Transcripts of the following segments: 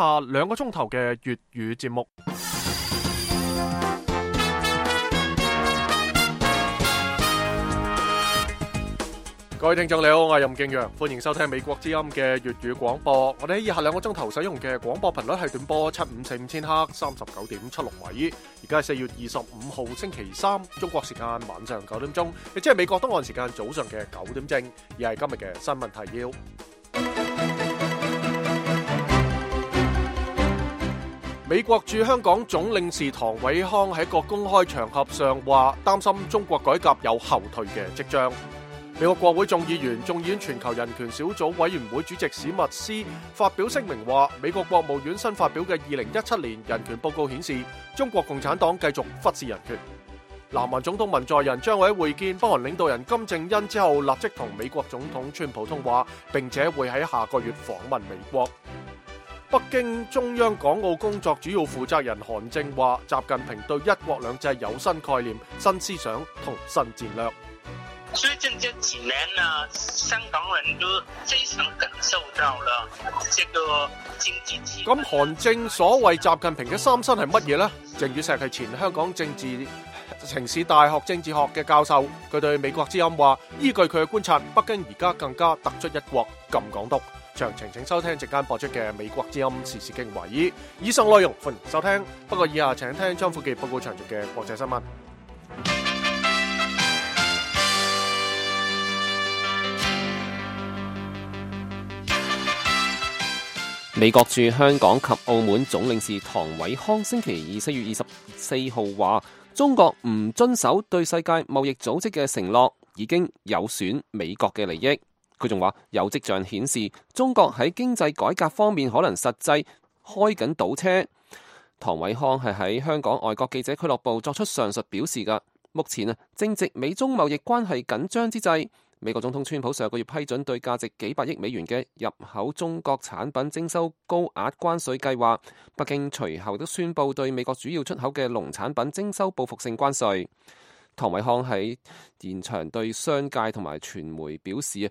下2個鐘頭嘅粵語節目。各位聽眾你好，我係任敬陽，歡迎收聽美國之音嘅粵語廣播。我哋喺以下2個鐘頭使用嘅廣播頻率係短波754千赫39.76米。而家係4月25號星期3，中國時間晚上9點鐘，亦即係美國東岸時間早上嘅9點正。而係今日嘅新聞提要。美國駐香港總領事唐偉康喺一個公開場合上話，擔心中國改革有後退嘅跡象。美國國會眾議院全球人權小組委員會主席史密斯發表聲明話，美國國務院新發表嘅2017年人權報告顯示，中國共產黨繼續忽視人權。南韓總統文在寅將會喺會見北韓領導人金正恩之後，立即同美國總統川普通話，並且會喺下個月訪問美國。北京中央港澳工作主要負責人韓正話，習近平對一國兩制有新概念、新思想同新戰略。最近這幾年呢，香港人都非常感受到了這個經濟體。咁韓正所謂習近平嘅三新係乜嘢呢？鄭宇碩係前香港城市大學政治學嘅教授，佢對美國之音話，依據佢嘅觀察，北京而家更加突出一國禁港獨。詳情請收聽席間播出嘅美國之音時事經緯。以上內容歡迎收聽，不過以下請聽張富傑報告詳盡嘅國際新聞。美國駐香港及澳門總領事唐偉康星期二4月24號話，中國唔遵守對世界貿易組織嘅承諾，已經有損美國嘅利益。佢仲話，有跡象顯示中國喺經濟改革方面可能實際開緊倒車。唐偉康係喺香港外國記者俱樂部作出上述表示㗎。目前正值美中貿易關係緊張之際，美國總統川普上個月批准對價值幾百億美元嘅入口中國產品徵收高額關稅計劃，北京隨後都宣布對美國主要出口嘅農產品徵收報復性關稅。唐偉康喺現場對商界同埋傳媒表示，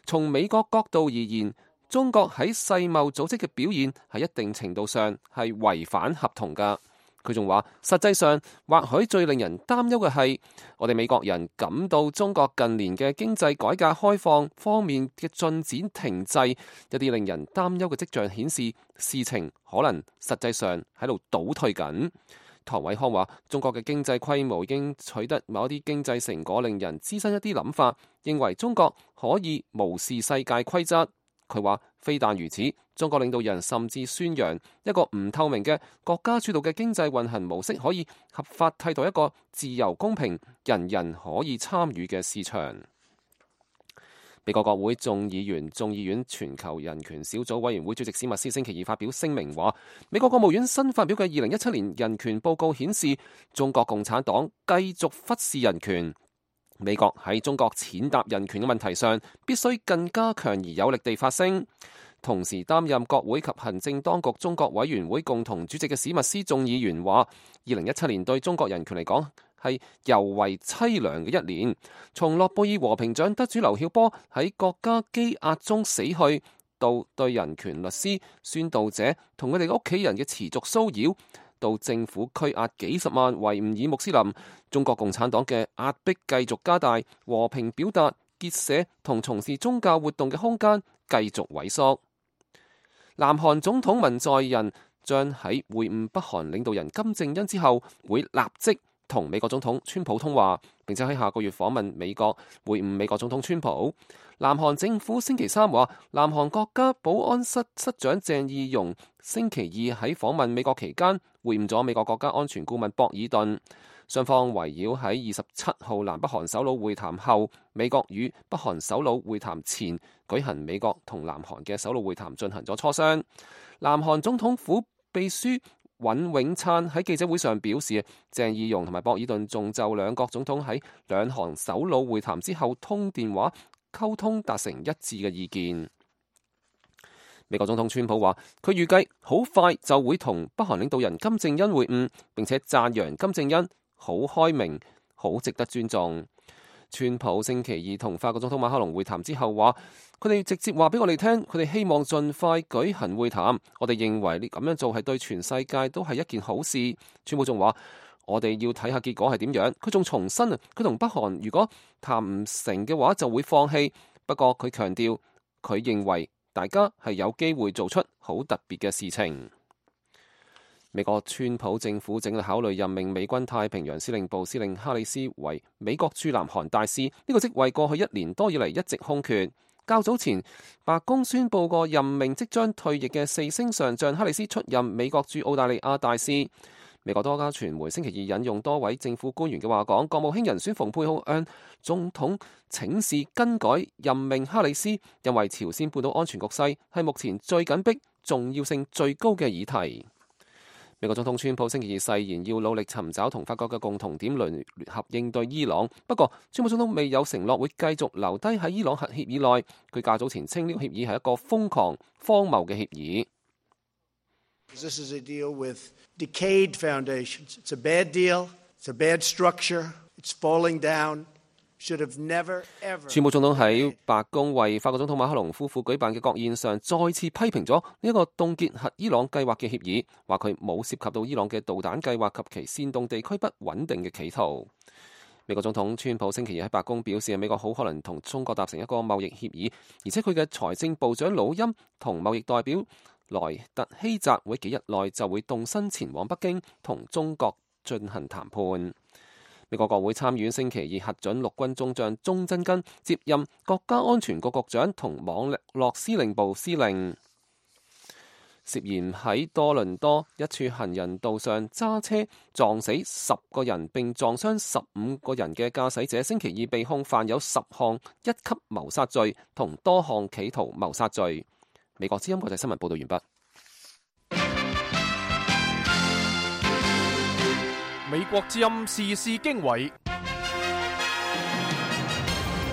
從美國角度而言，中國喺世貿組織嘅表現喺一定程度上係違反合同㗎。佢仲話，實際上或許最令人擔憂嘅係，我哋美國人感到中國近年嘅經濟改革開放方面嘅進展停滯，一啲令人擔憂嘅跡象顯示，事情可能實際上喺度倒退緊。唐偉康話，中國嘅經濟規模已經取得某一啲經濟成果，令人滋生一啲諗法，認為中國可以無視世界規則。佢話，非但如此，中國領導人甚至宣揚一個唔透明嘅國家主導嘅經濟運行模式可以合法替代一個自由公平、人人可以參與嘅市場。美國國會眾議院全球人權小組委員會主席史密斯星期二發表聲明話，美國國務院新發表嘅2017年人權報告顯示，中國共產黨繼續忽視人權。美國喺中國踐踏人權嘅問題上，必須更加強而有力地發聲。同時擔任國會及行政當局中國委員會共同主席嘅史密斯眾議員話，2017年對中國人權嚟講係尤為淒涼嘅一年。從諾貝爾和平獎得主劉曉波喺國家羈押中死去，到對人權律師、宣導者同佢哋屋企人嘅持續騷擾，到政府拘押幾十萬維吾爾穆斯林，中國共產黨嘅壓迫繼續加大，和平表達、結社同從事宗教活動嘅空間繼續萎縮。南韓總統文在寅將喺會晤北韓領導人金正恩之後，會立即同美國總統川普通話，並且喺下個月訪問美國，會晤美國總統川普。南韓政府星期3話，南韓國家保安室室長鄭義溶星期二喺訪問美國期間，會晤咗美國國家安全顧問博爾頓。雙方圍繞喺27號南北韓首腦會談後，美國與北韓首腦會談前舉行美國同南韓嘅首腦會談進行咗磋商。南韓總統府秘書尹永燦喺記者會上表示，鄭義溶同埋博爾頓仲就兩國總統喺兩韓首腦會談之後通電話溝通達成一致嘅意見。美國總統川普話，佢預計好快就會同北韓領導人金正恩會晤，並且讚揚金正恩好開明，好值得尊重。川普星期二同法國總統馬克龍會談之後話，佢哋直接話俾我哋聽，佢哋希望盡快舉行會談。我哋認為呢咁樣做係對全世界都係一件好事。川普仲話，我哋要睇下結果係點樣。佢仲重申佢同北韓如果談唔成嘅話就會放棄。不過佢強調，佢認為大家係有機會做出好特別嘅事情。美國川普政府正考慮任命美軍太平洋司令部司令哈里斯為美國駐南韓大使，呢個職位過去1年多以嚟一直空缺。較早前，白宮宣布過任命即將退役嘅4星上將哈里斯出任美國駐澳大利亞大使。美國多家傳媒星期二引用多位政府官員嘅話講，國務卿人選蓬佩奧向總統請示更改任命哈里斯，因為朝鮮半島安全局勢係目前最緊迫、重要性最高嘅議題。美國總統川普星期二誓言要努力尋找同法國嘅共同點，聯合應對伊朗。不過，川普總統未有承諾會繼續留低喺伊朗核協議內。佢較早前稱呢個協議係一個瘋狂、荒謬嘅協議。This is a deal with decayed foundations. It's a bad deal. It's a bad structure. It's falling down. Should have never ever. 川普總統喺白宮為法國總統馬克龍夫婦舉辦嘅國宴上，再次批評咗呢一個凍結核伊朗計劃嘅協議，話佢冇涉及到伊朗嘅導彈計劃及其煽動地區不穩定嘅企圖。美國總統川普星期二喺白宮表示，美國好可能同中國達成一個貿易協議，而且佢嘅財政部長魯欽同貿易代表萊特希澤會幾日內就會動身前往北京同中國進行談判。美國國會參議院星期二核准陸軍中將鐘真根接任國家安全局局長同網絡司令部司令。涉嫌喺多倫多一處行人道上揸車撞死10個人並撞傷15個人嘅駕駛者，星期二被控犯有10項1級謀殺罪同多項企圖謀殺罪。美國之音國際新聞報道完畢。美國之音時事經緯，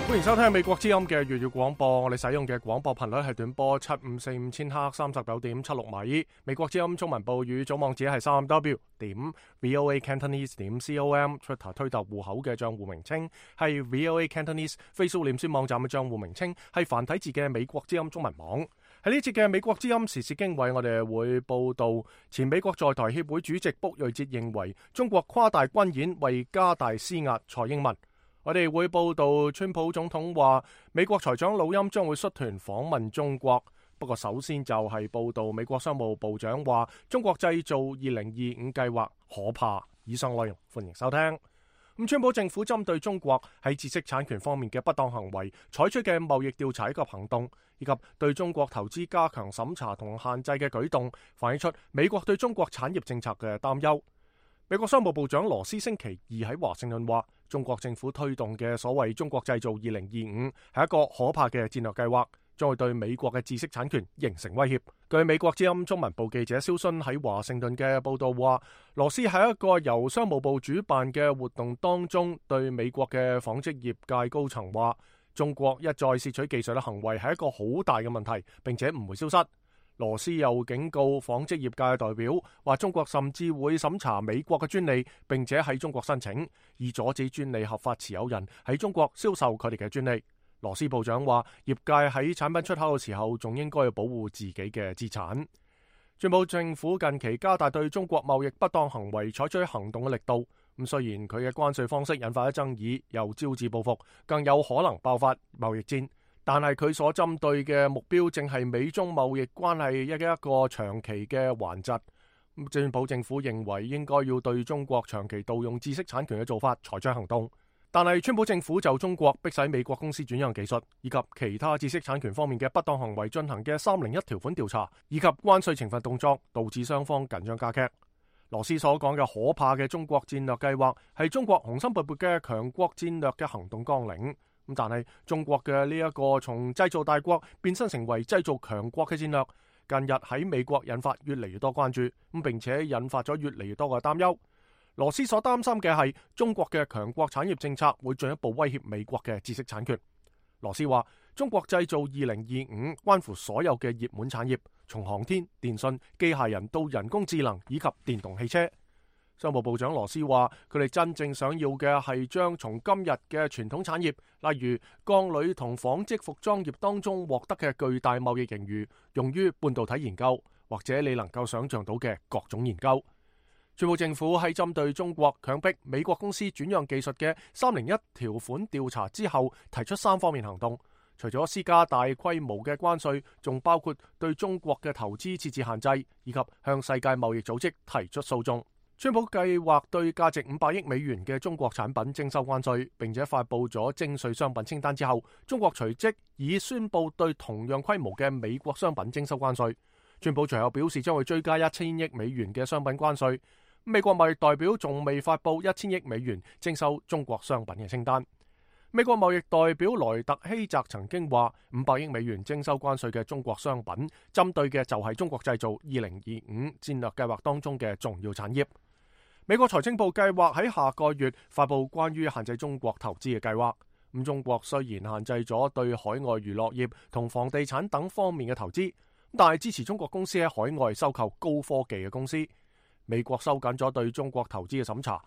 歡迎收聽美國之音嘅粵語廣播。我哋使用嘅廣播頻率係短波7545千赫39.76米。美國之音中文部語組網址係3w.voacantonese.com。Twitter 推特戶口嘅賬戶名稱係 VOA Cantonese。Facebook 臉書網站嘅賬戶名稱係繁體字嘅美國之音中文網。喺呢節嘅美國之音時事經緯，我哋會報道前美國在台協會主席卜瑞哲認為中國誇大軍演為加大施壓蔡英文。我哋會報道川普總統話美國財長魯欽將會率團訪問中國。不過首先就係報道美國商務部長話中國製造2025計劃可怕。以上內容歡迎收聽。川普政府針對中國喺知識產權方面嘅不當行為採取嘅貿易調查及行動，以及對中國投資加強審查同限制嘅舉動，反映出美國對中國產業政策嘅擔憂。美國商務部長羅斯星期二喺華盛頓話，中國政府推動嘅所謂中國製造2025係一個可怕嘅戰略計劃，將會對美國嘅知識產權形成威脅。據美國之音中文部記者蕭勳喺華盛頓嘅報道話，羅斯喺一個由商務部主辦嘅活動當中，對美國嘅紡織業界高層話，中國一再竊取技術嘅行為係一個好大嘅問題，並且唔會消失。羅斯又警告紡織業界嘅代表，話中國甚至會審查美國嘅專利，並且喺中國申請，以阻止專利合法持有人喺中國銷售佢哋嘅專利。羅斯部長話，業界喺產品出口嘅時候，仲應該要保護自己嘅資產。川普政府近期加大對中國貿易不當行為採取行動嘅力度。咁雖然佢嘅關稅方式引發咗爭議，又招致報復，更有可能爆發貿易戰，但係佢所針對嘅目標正係美中貿易關係一個長期嘅頑疾。川普政府認為應該要對中國長期盜用知識產權嘅做法採取行動。但係川普政府就中國迫使美國公司轉讓技術以及其他知識產權方面嘅不當行為進行嘅301條款調查，以及關稅懲罰動作，導致雙方緊張加劇。羅斯所講嘅可怕嘅中國戰略計劃係中國雄心勃勃嘅強國戰略嘅行動綱領。但係中國嘅呢一個從製造大國變身成為製造強國嘅戰略，近日喺美國引發越嚟越多關注，並且引發咗越嚟越多嘅擔憂。羅斯所擔心嘅係中國嘅強國產業政策會進一步威脅美國嘅知識產權。羅斯話，中國製造2025關乎所有嘅熱門產業，從航天、電信、機械人到人工智能以及電動汽車。商務部長羅斯話，佢哋真正想要嘅係將從今日嘅傳統產業，例如鋼鋁同紡織服裝業當中獲得嘅巨大貿易盈餘，用於半導體研究，或者你能夠想象到嘅各種研究。川普政府喺針對中國強迫美國公司轉讓技術嘅301條款調查之後，提出3方面行動。除咗施加大規模嘅關稅，仲包括對中國嘅投資設置限制，以及向世界貿易組織提出訴訟。川普計劃對價值500億美元嘅中國產品徵收關稅，並且發佈咗徵稅商品清單之後，中國隨即已宣布對同樣規模嘅美國商品徵收關稅。川普隨後表示將會追加1000億美元嘅商品關稅。美國貿易代表仲未發佈1000億美元徵收中國商品嘅清單。美國貿易代表萊特希澤曾經話，500億美元徵收關稅嘅中國商品，針對嘅就係中國製造2025戰略計劃當中嘅重要產業。美國財政部計劃喺下個月發佈關於限制中國投資嘅計劃。中國雖然限制咗對海外娛樂業同房地產等方面嘅投資，但係支持中國公司喺海外收購高科技嘅公司。美國收緊咗對中國投資嘅審查。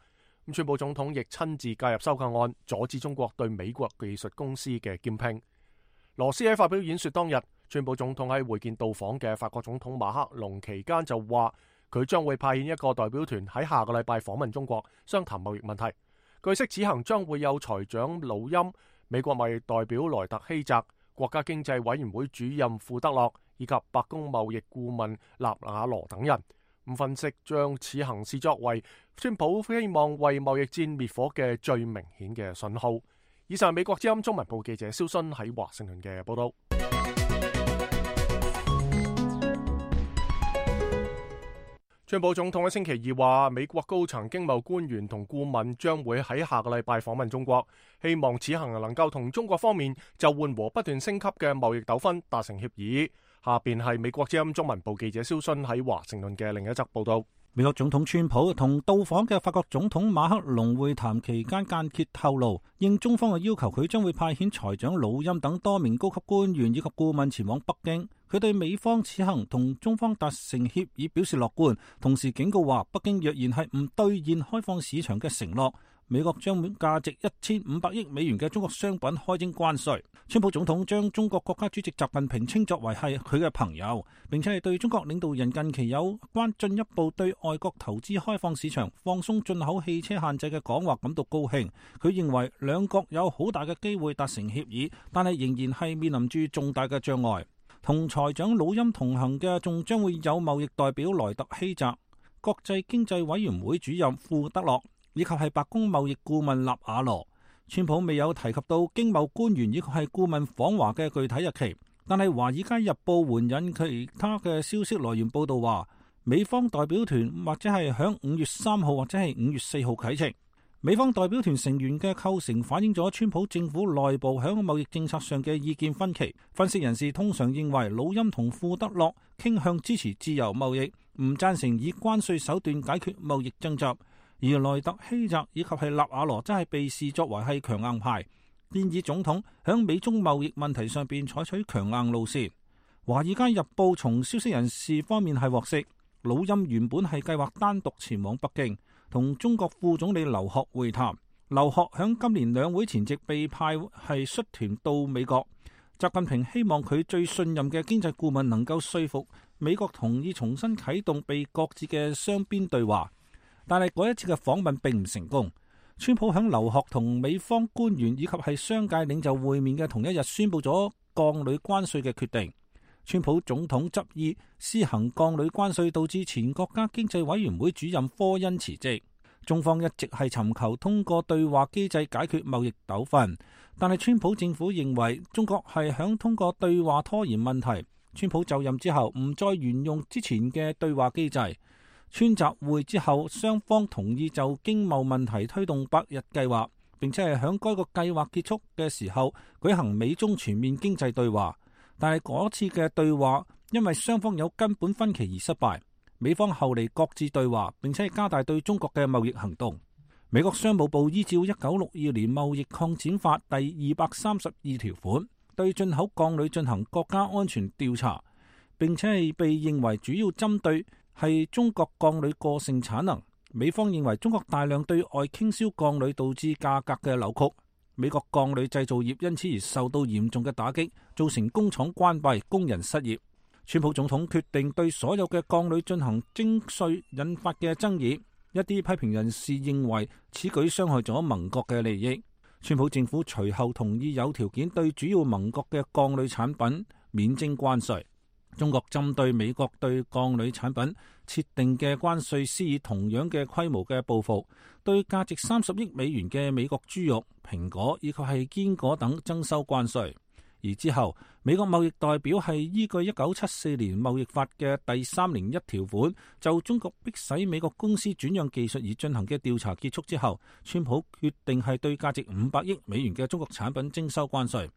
川普總統亦親自介入收購案，阻止中國對美國技術公司嘅兼併。羅斯喺發表演說當日，川普總統喺會見到訪嘅法國總統馬克龍期間就話，佢將會派遣一個代表團喺下個禮拜訪問中國，商談貿易問題。據悉此行將會有財長魯欽、美國貿易代表萊特希澤、國家經濟委員會主任庫德洛以及白宮貿易顧問納瓦羅等人。分析將此行視作為川普希望為貿易戰滅火嘅最明顯嘅信號。以上係美國之音中文部記者蕭勳喺華盛頓嘅報道。川普總統喺星期二話，美國高層經貿官員同顧問將會喺下個禮拜訪問中國，希望此行能夠同中國方面就緩和不斷升級嘅貿易糾紛達成協議。下邊係美國之音中文部記者蕭勳喺華盛頓嘅另一則報道。美國總統川普同到訪嘅法國總統馬克龍會談期間間歇透露，應中方嘅要求，佢將會派遣財長魯欽等多名高級官員以及顧問前往北京。佢對美方此行同中方達成協議表示樂觀，同時警告話，北京若然係唔兌現開放市場嘅承諾，美國將價值1500億美元嘅中國商品開徵關稅。川普總統將中國國家主席習近平稱作為係佢嘅朋友，並且係對中國領導人近期有關進一步對外國投資開放市場、放鬆進口汽車限制嘅講話感到高興。佢認為兩國有好大嘅機會達成協議，但係仍然係面臨住重大嘅障礙。同財長魯欽同行嘅仲將會有貿易代表萊特希澤、國際經濟委員會主任庫德洛，以及係白宮貿易顧問納瓦羅。川普未有提及到經貿官員以及係顧問訪華嘅具體日期，但係《華爾街日報》援引其他嘅消息來源報道話，美方代表團或者係響5月3號或者係5月4號啟程。美方代表團成員嘅構成反映咗川普政府內部響貿易政策上嘅意見分歧。分析人士通常認為，魯欽同庫德洛傾向支持自由貿易，唔贊成以關稅手段解決貿易爭執。而萊特希澤以及係納瓦羅真係被視作為係強硬派，建議總統響美中貿易問題上邊採取強硬路線。華爾街日報從消息人士方面係獲悉，魯欽原本係計劃單獨前往北京同中國副總理劉鶴會談。劉鶴響今年兩會前夕被派係率團到美國。習近平希望佢最信任嘅經濟顧問能夠說服美國同意重新啟動被擱置嘅雙邊對話。但係嗰一次嘅訪問並唔成功。川普響劉鶴同美方官員以及係商界領袖會面嘅同一日宣布咗鋼鋁關稅嘅決定。川普總統執意施行鋼鋁關稅，導致前國家經濟委員會主任科恩辭職。中方一直係尋求通過對話機制解決貿易糾紛，但係川普政府認為中國係響通過對話拖延問題。川普就任之後唔再沿用之前嘅對話機制。川習會之後，雙方同意就經貿問題推動100日計劃，並且係響該個計劃結束嘅時候舉行美中全面經濟對話。但係嗰次嘅對話因為雙方有根本分歧而失敗，美方後嚟擱置對話，並且係加大對中國嘅貿易行動。美國商務部依照1962年貿易擴展法第232條款，對進口鋼鋁進行國家安全調查，並且係被認為主要針對係中國鋼鋁過剩產能，美方認為中國大量對外傾銷鋼鋁導致價格嘅扭曲，美國鋼鋁製造業因此而受到嚴重嘅打擊，造成工廠關閉、工人失業。川普總統決定對所有嘅鋼鋁進行徵稅，引發嘅爭議，一啲批評人士認為此舉傷害咗盟國嘅利益。川普政府隨後同意有條件對主要盟國嘅鋼鋁產品免徵關稅。中國針對美國對鋼鋁產品設定嘅關稅施以同樣嘅規模嘅報復，對價值30億美元嘅美國豬肉、蘋果以及係堅果等徵收關稅。而之後，美國貿易代表係依據1974年貿易法嘅第301條款，就中國迫使美國公司轉讓技術而進行嘅調查結束之後，川普決定係對價值500億美元嘅中國產品徵收關稅。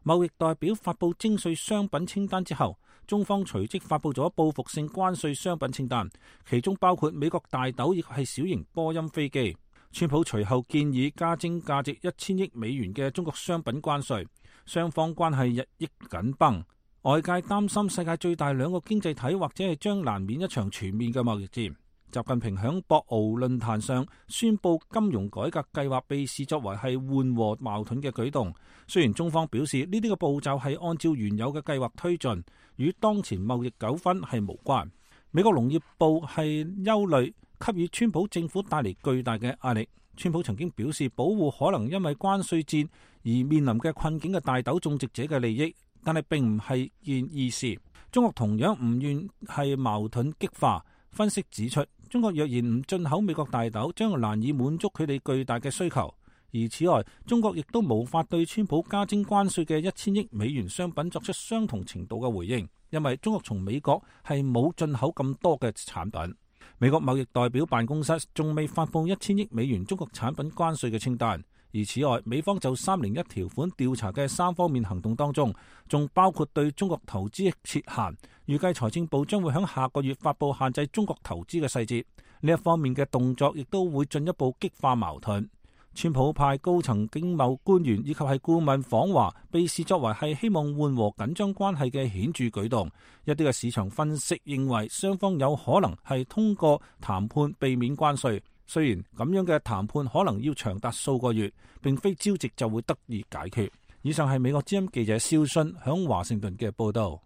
貿易代表發布徵稅商品清單之後，中方隨即發布咗報復性關稅商品清單，其中包括美國大豆亦係小型波音飛機。川普隨後建議加徵價值1000億美元嘅中國商品關稅，雙方關係日益緊繃。外界擔心世界最大兩個經濟體或者係將難免一場全面嘅貿易戰。習近平響博鰲論壇上宣布金融改革計劃，被視作為係緩和矛盾嘅舉動。雖然中方表示呢啲嘅步驟係按照原有嘅計劃推進，與當前貿易糾紛係無關。美國農業部係憂慮給予川普政府帶嚟巨大嘅壓力。川普曾經表示保護可能因為關稅戰而面臨嘅困境嘅大豆種植者嘅利益，但係並唔係件易事。中國同樣唔願係矛盾激化。分析指出，中國若然唔進口美國大豆，將難以滿足佢哋巨大嘅需求。而此外，中國亦都無法對川普加徵關稅嘅1000億美元商品作出相同程度嘅回應，因為中國從美國係冇進口咁多嘅產品。美國貿易代表辦公室仲未發布1000億美元中國產品關稅嘅清單。而此外，美方就301條款調查嘅3方面行動當中，仲包括對中國投資設限。預計財政部將會喺下個月發布限制中國投資嘅細節。呢一方面嘅動作亦都會進一步激化矛盾。川普派高層經貿官員以及係顧問訪華，被視作為係希望緩和緊張關係嘅顯著舉動。一啲嘅市場分析認為，雙方有可能係通過談判避免關稅。雖然咁樣嘅談判可能要長達數個月，並非朝夕就會得以解決。以上係美國之音記者蕭信響華盛頓嘅報道。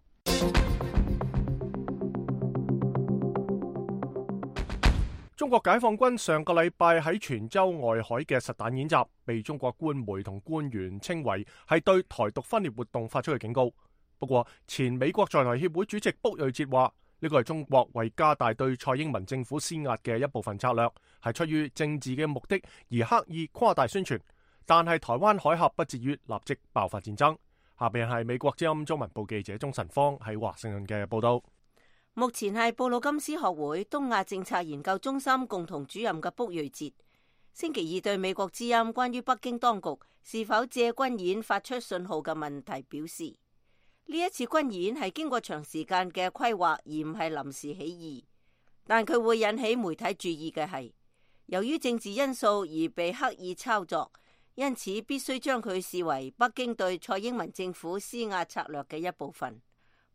中國解放軍上個禮拜喺泉州外海嘅實彈演習，被中國官媒同官員稱為係對台獨分裂活動發出嘅警告。不過，前美國在台協會主席卜瑞哲話，呢個係中國為加大對蔡英文政府施壓嘅一部分策略，係出於政治嘅目的而刻意誇大宣傳。但係台灣海峽不至於立即爆發戰爭。下邊係美國之音中文部記者鍾晨芳喺華盛頓嘅報道。目前係布魯金斯學會東亞政策研究中心共同主任嘅卜瑞哲，星期二對美國之音關於北京當局是否借軍演發出信號嘅問題表示，呢一次軍演係經過長時間嘅規劃，而唔係臨時起意。但佢會引起媒體注意嘅係，由於政治因素而被刻意操作，因此必須將佢視為北京對蔡英文政府施壓策略嘅一部分。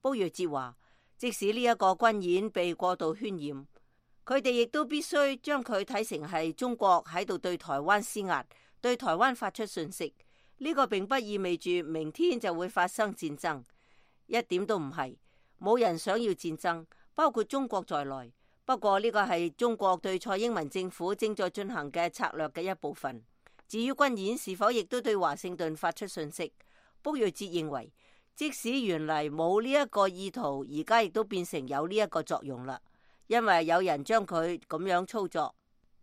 卜瑞哲話，即使呢一個軍演被過度渲染，佢哋亦都必須將佢睇成係中國喺度對台灣施壓，對台灣發出訊息。呢個並不意味住明天就會發生戰爭。一點都唔係，冇人想要戰爭，包括中國在內。不過呢個係中國對蔡英文政府正在進行嘅策略嘅一部分。至於軍演是否亦都對華盛頓發出訊息，卜瑞哲認為，即使原嚟冇呢一個意圖，而家亦都變成有呢一個作用啦，因為有人將佢咁樣操作。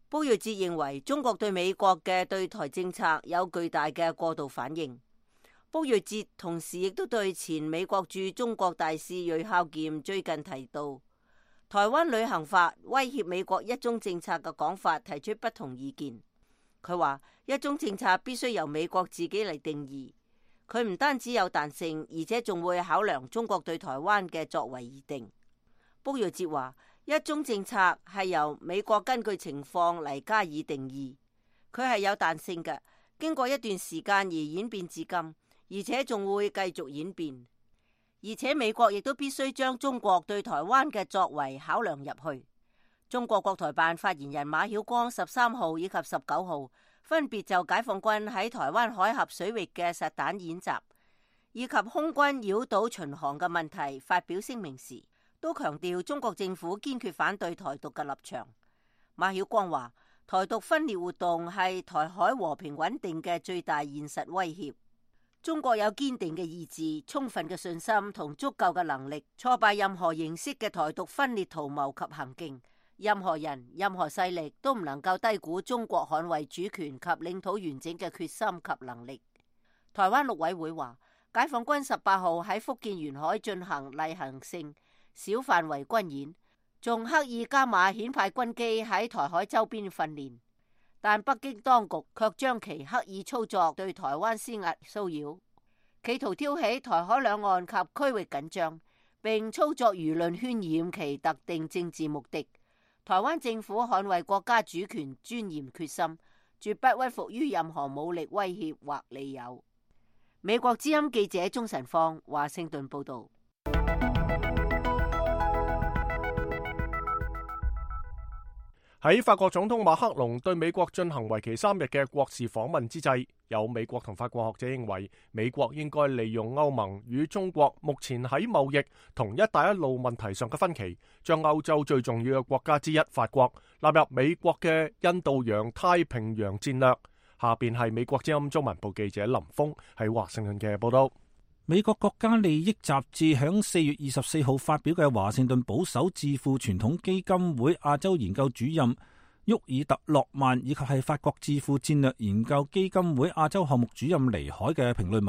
卜瑞哲認為，中國對美國嘅對台政策有巨大嘅過度反應。卜瑞哲同時亦都對前美國駐中國大使銳孝儉最近提到台灣旅行法威脅美國一中政策嘅講法提出不同意見。佢話一中政策必須由美國自己嚟定義，佢唔單止有彈性，而且仲會考量中國對台灣嘅作為而定。卜瑞哲話一中政策係由美國根據情況嚟加以定義，佢係有彈性嘅，經過一段時間而演變至今。而且仲會繼續演變，而且美國亦都必須將中國對台灣嘅作為考量入去。中國國台辦發言人馬曉光13號以及19號分別就解放軍喺台灣海峽水域嘅實彈演習以及空軍繞島巡航嘅問題發表聲明時，都強調中國政府堅決反對台獨嘅立場。馬曉光話：台獨分裂活動係台海和平穩定嘅最大現實威脅。中國有堅定嘅意志、充分嘅信心同足夠嘅能力，挫敗任何形式嘅台獨分裂圖謀及行徑。任何人、任何勢力都唔能夠低估中國捍衛主權及領土完整嘅決心及能力。台灣陸委會話，解放軍18號喺福建沿海進行例行性小範圍軍演，仲刻意加碼遣派軍機喺台海周邊訓練，但北京當局卻將其刻意操作對台灣施壓騷擾，企圖挑起台海兩岸及區域緊張，並操作輿論渲染其特定政治目的。台灣政府捍衛國家主權尊嚴決心，絕不屈服於任何武力威脅或利誘。美國之音記者鍾晨芳華盛頓報道。喺法國總統馬克龍對美國進行為期3日嘅國事訪問之際，有美國同法國學者認為，美國應該利用歐盟與中國目前喺貿易同一帶一路問題上嘅分歧，將歐洲最重要嘅國家之一法國納入美國嘅印度洋太平洋戰略。下邊係美國之音中文部記者林峰喺華盛頓嘅報道。美國國家利益雜誌響4月24號發表嘅華盛頓保守智庫傳統基金會亞洲研究主任沃爾特洛曼以及係法國智庫戰略研究基金會亞洲項目主任尼海嘅評論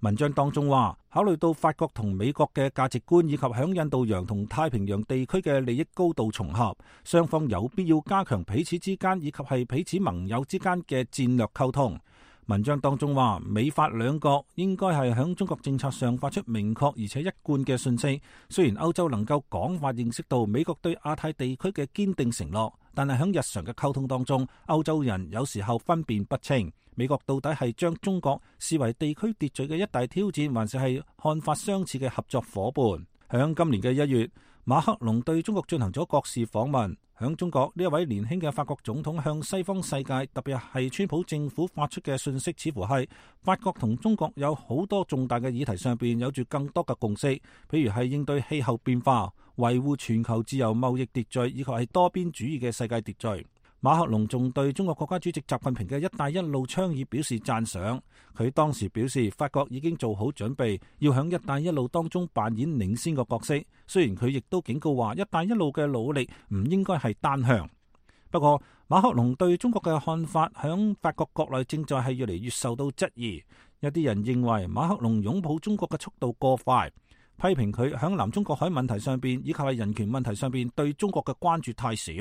文章當中話，考慮到法國同美國嘅價值觀以及響印度洋同太平洋地區嘅利益高度重合，雙方有必要加強彼此之間以及係彼此盟友之間嘅戰略溝通。文章當中話，美法兩國應該係響中國政策上發出明確而且一貫嘅訊息。雖然歐洲能夠廣泛認識到美國對亞太地區嘅堅定承諾，但係響日常嘅溝通當中，歐洲人有時候分辨不清，美國到底係將中國視為地區秩序嘅一大挑戰，還是係看法相似嘅合作夥伴。響今年嘅1月，馬克龍對中國進行咗國事訪問。響中國，呢一位年輕嘅法國總統向西方世界，特別係川普政府發出嘅信息，似乎係法國同中國有好多重大嘅議題上邊有住更多嘅共識，譬如係應對氣候變化、維護全球自由貿易秩序以及係多邊主義嘅世界秩序。馬克龍仲對中國國家主席習近平嘅一帶一路倡議表示讚賞。佢當時表示，法國已經做好準備，要響一帶一路當中扮演領先嘅角色。雖然佢亦都警告話，一帶一路嘅努力唔應該係單向。不過，馬克龍對中國嘅看法響法國國內正在係越嚟越受到質疑。有啲人認為馬克龍擁抱中國嘅速度過快，批評佢響南中國海問題上邊以及係人權問題上邊對中國嘅關注太少。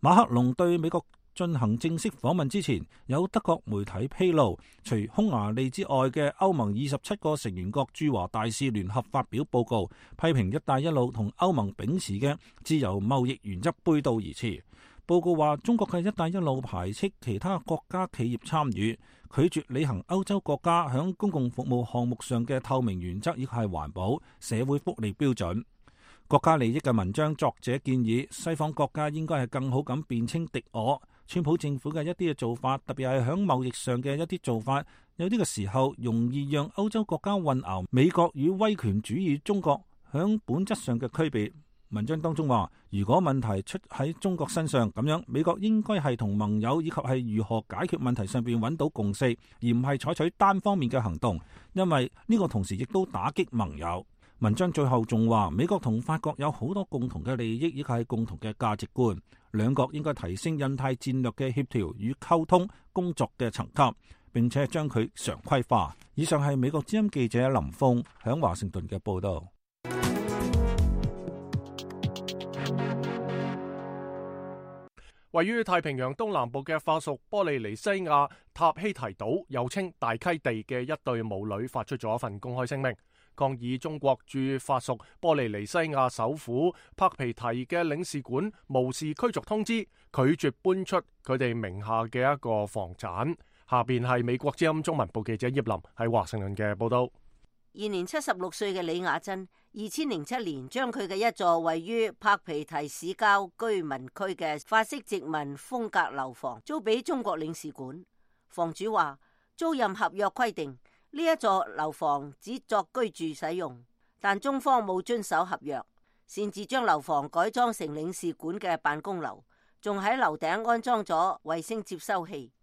馬克龍對美國進行正式訪問之前，有德國媒體披露，除匈牙利之外嘅歐盟27個成員國駐華大使聯合發表報告，批評一帶一路同歐盟秉持嘅自由貿易原則背道而馳。報告話，中國嘅一帶一路排斥其他國家企業參與，拒絕履行歐洲國家響公共服務項目上嘅透明原則以及係環保、社會福利標準。國家利益嘅文章作者建議，西方國家應該係更好咁辨清敵我。川普政府嘅一啲嘅做法，特別係響貿易上嘅一啲做法，有啲嘅時候容易讓歐洲國家混淆美國與威權主義中國響本質上嘅區別。文章當中話，如果問題出喺中國身上，咁樣美國應該係同盟友以及係如何解決問題上邊揾到共識，而唔係採取單方面嘅行動，因為呢個同時亦都打擊盟友。文章最後仲話，美國同法國有好多共同嘅利益，以及係共同嘅價值觀，兩國應該提升印太戰略嘅協調與溝通工作嘅層級，並且將佢常規化。以上係美國之音記者林峰響華盛頓嘅報道。位於太平洋東南部嘅法屬波利尼西亞塔希提島，又稱大溪地嘅一對母女發出咗一份公開聲明，抗議中國駐法屬波利尼西亞首府帕皮提嘅領事館無視驅逐通知，拒絕搬出佢哋名下嘅一個房產。下邊係美國之音中文部記者葉林喺華盛頓嘅報道。現年76歲嘅李雅珍2007年將佢嘅一座位於柏皮提市郊居民區嘅法式殖民風格樓房租俾中國領事館。房主話，租賃合約規定呢一座樓房只作居住使用，但中方冇遵守合約，擅自將樓房改裝成領事館嘅辦公樓，仲喺樓頂安裝咗衛星接收器。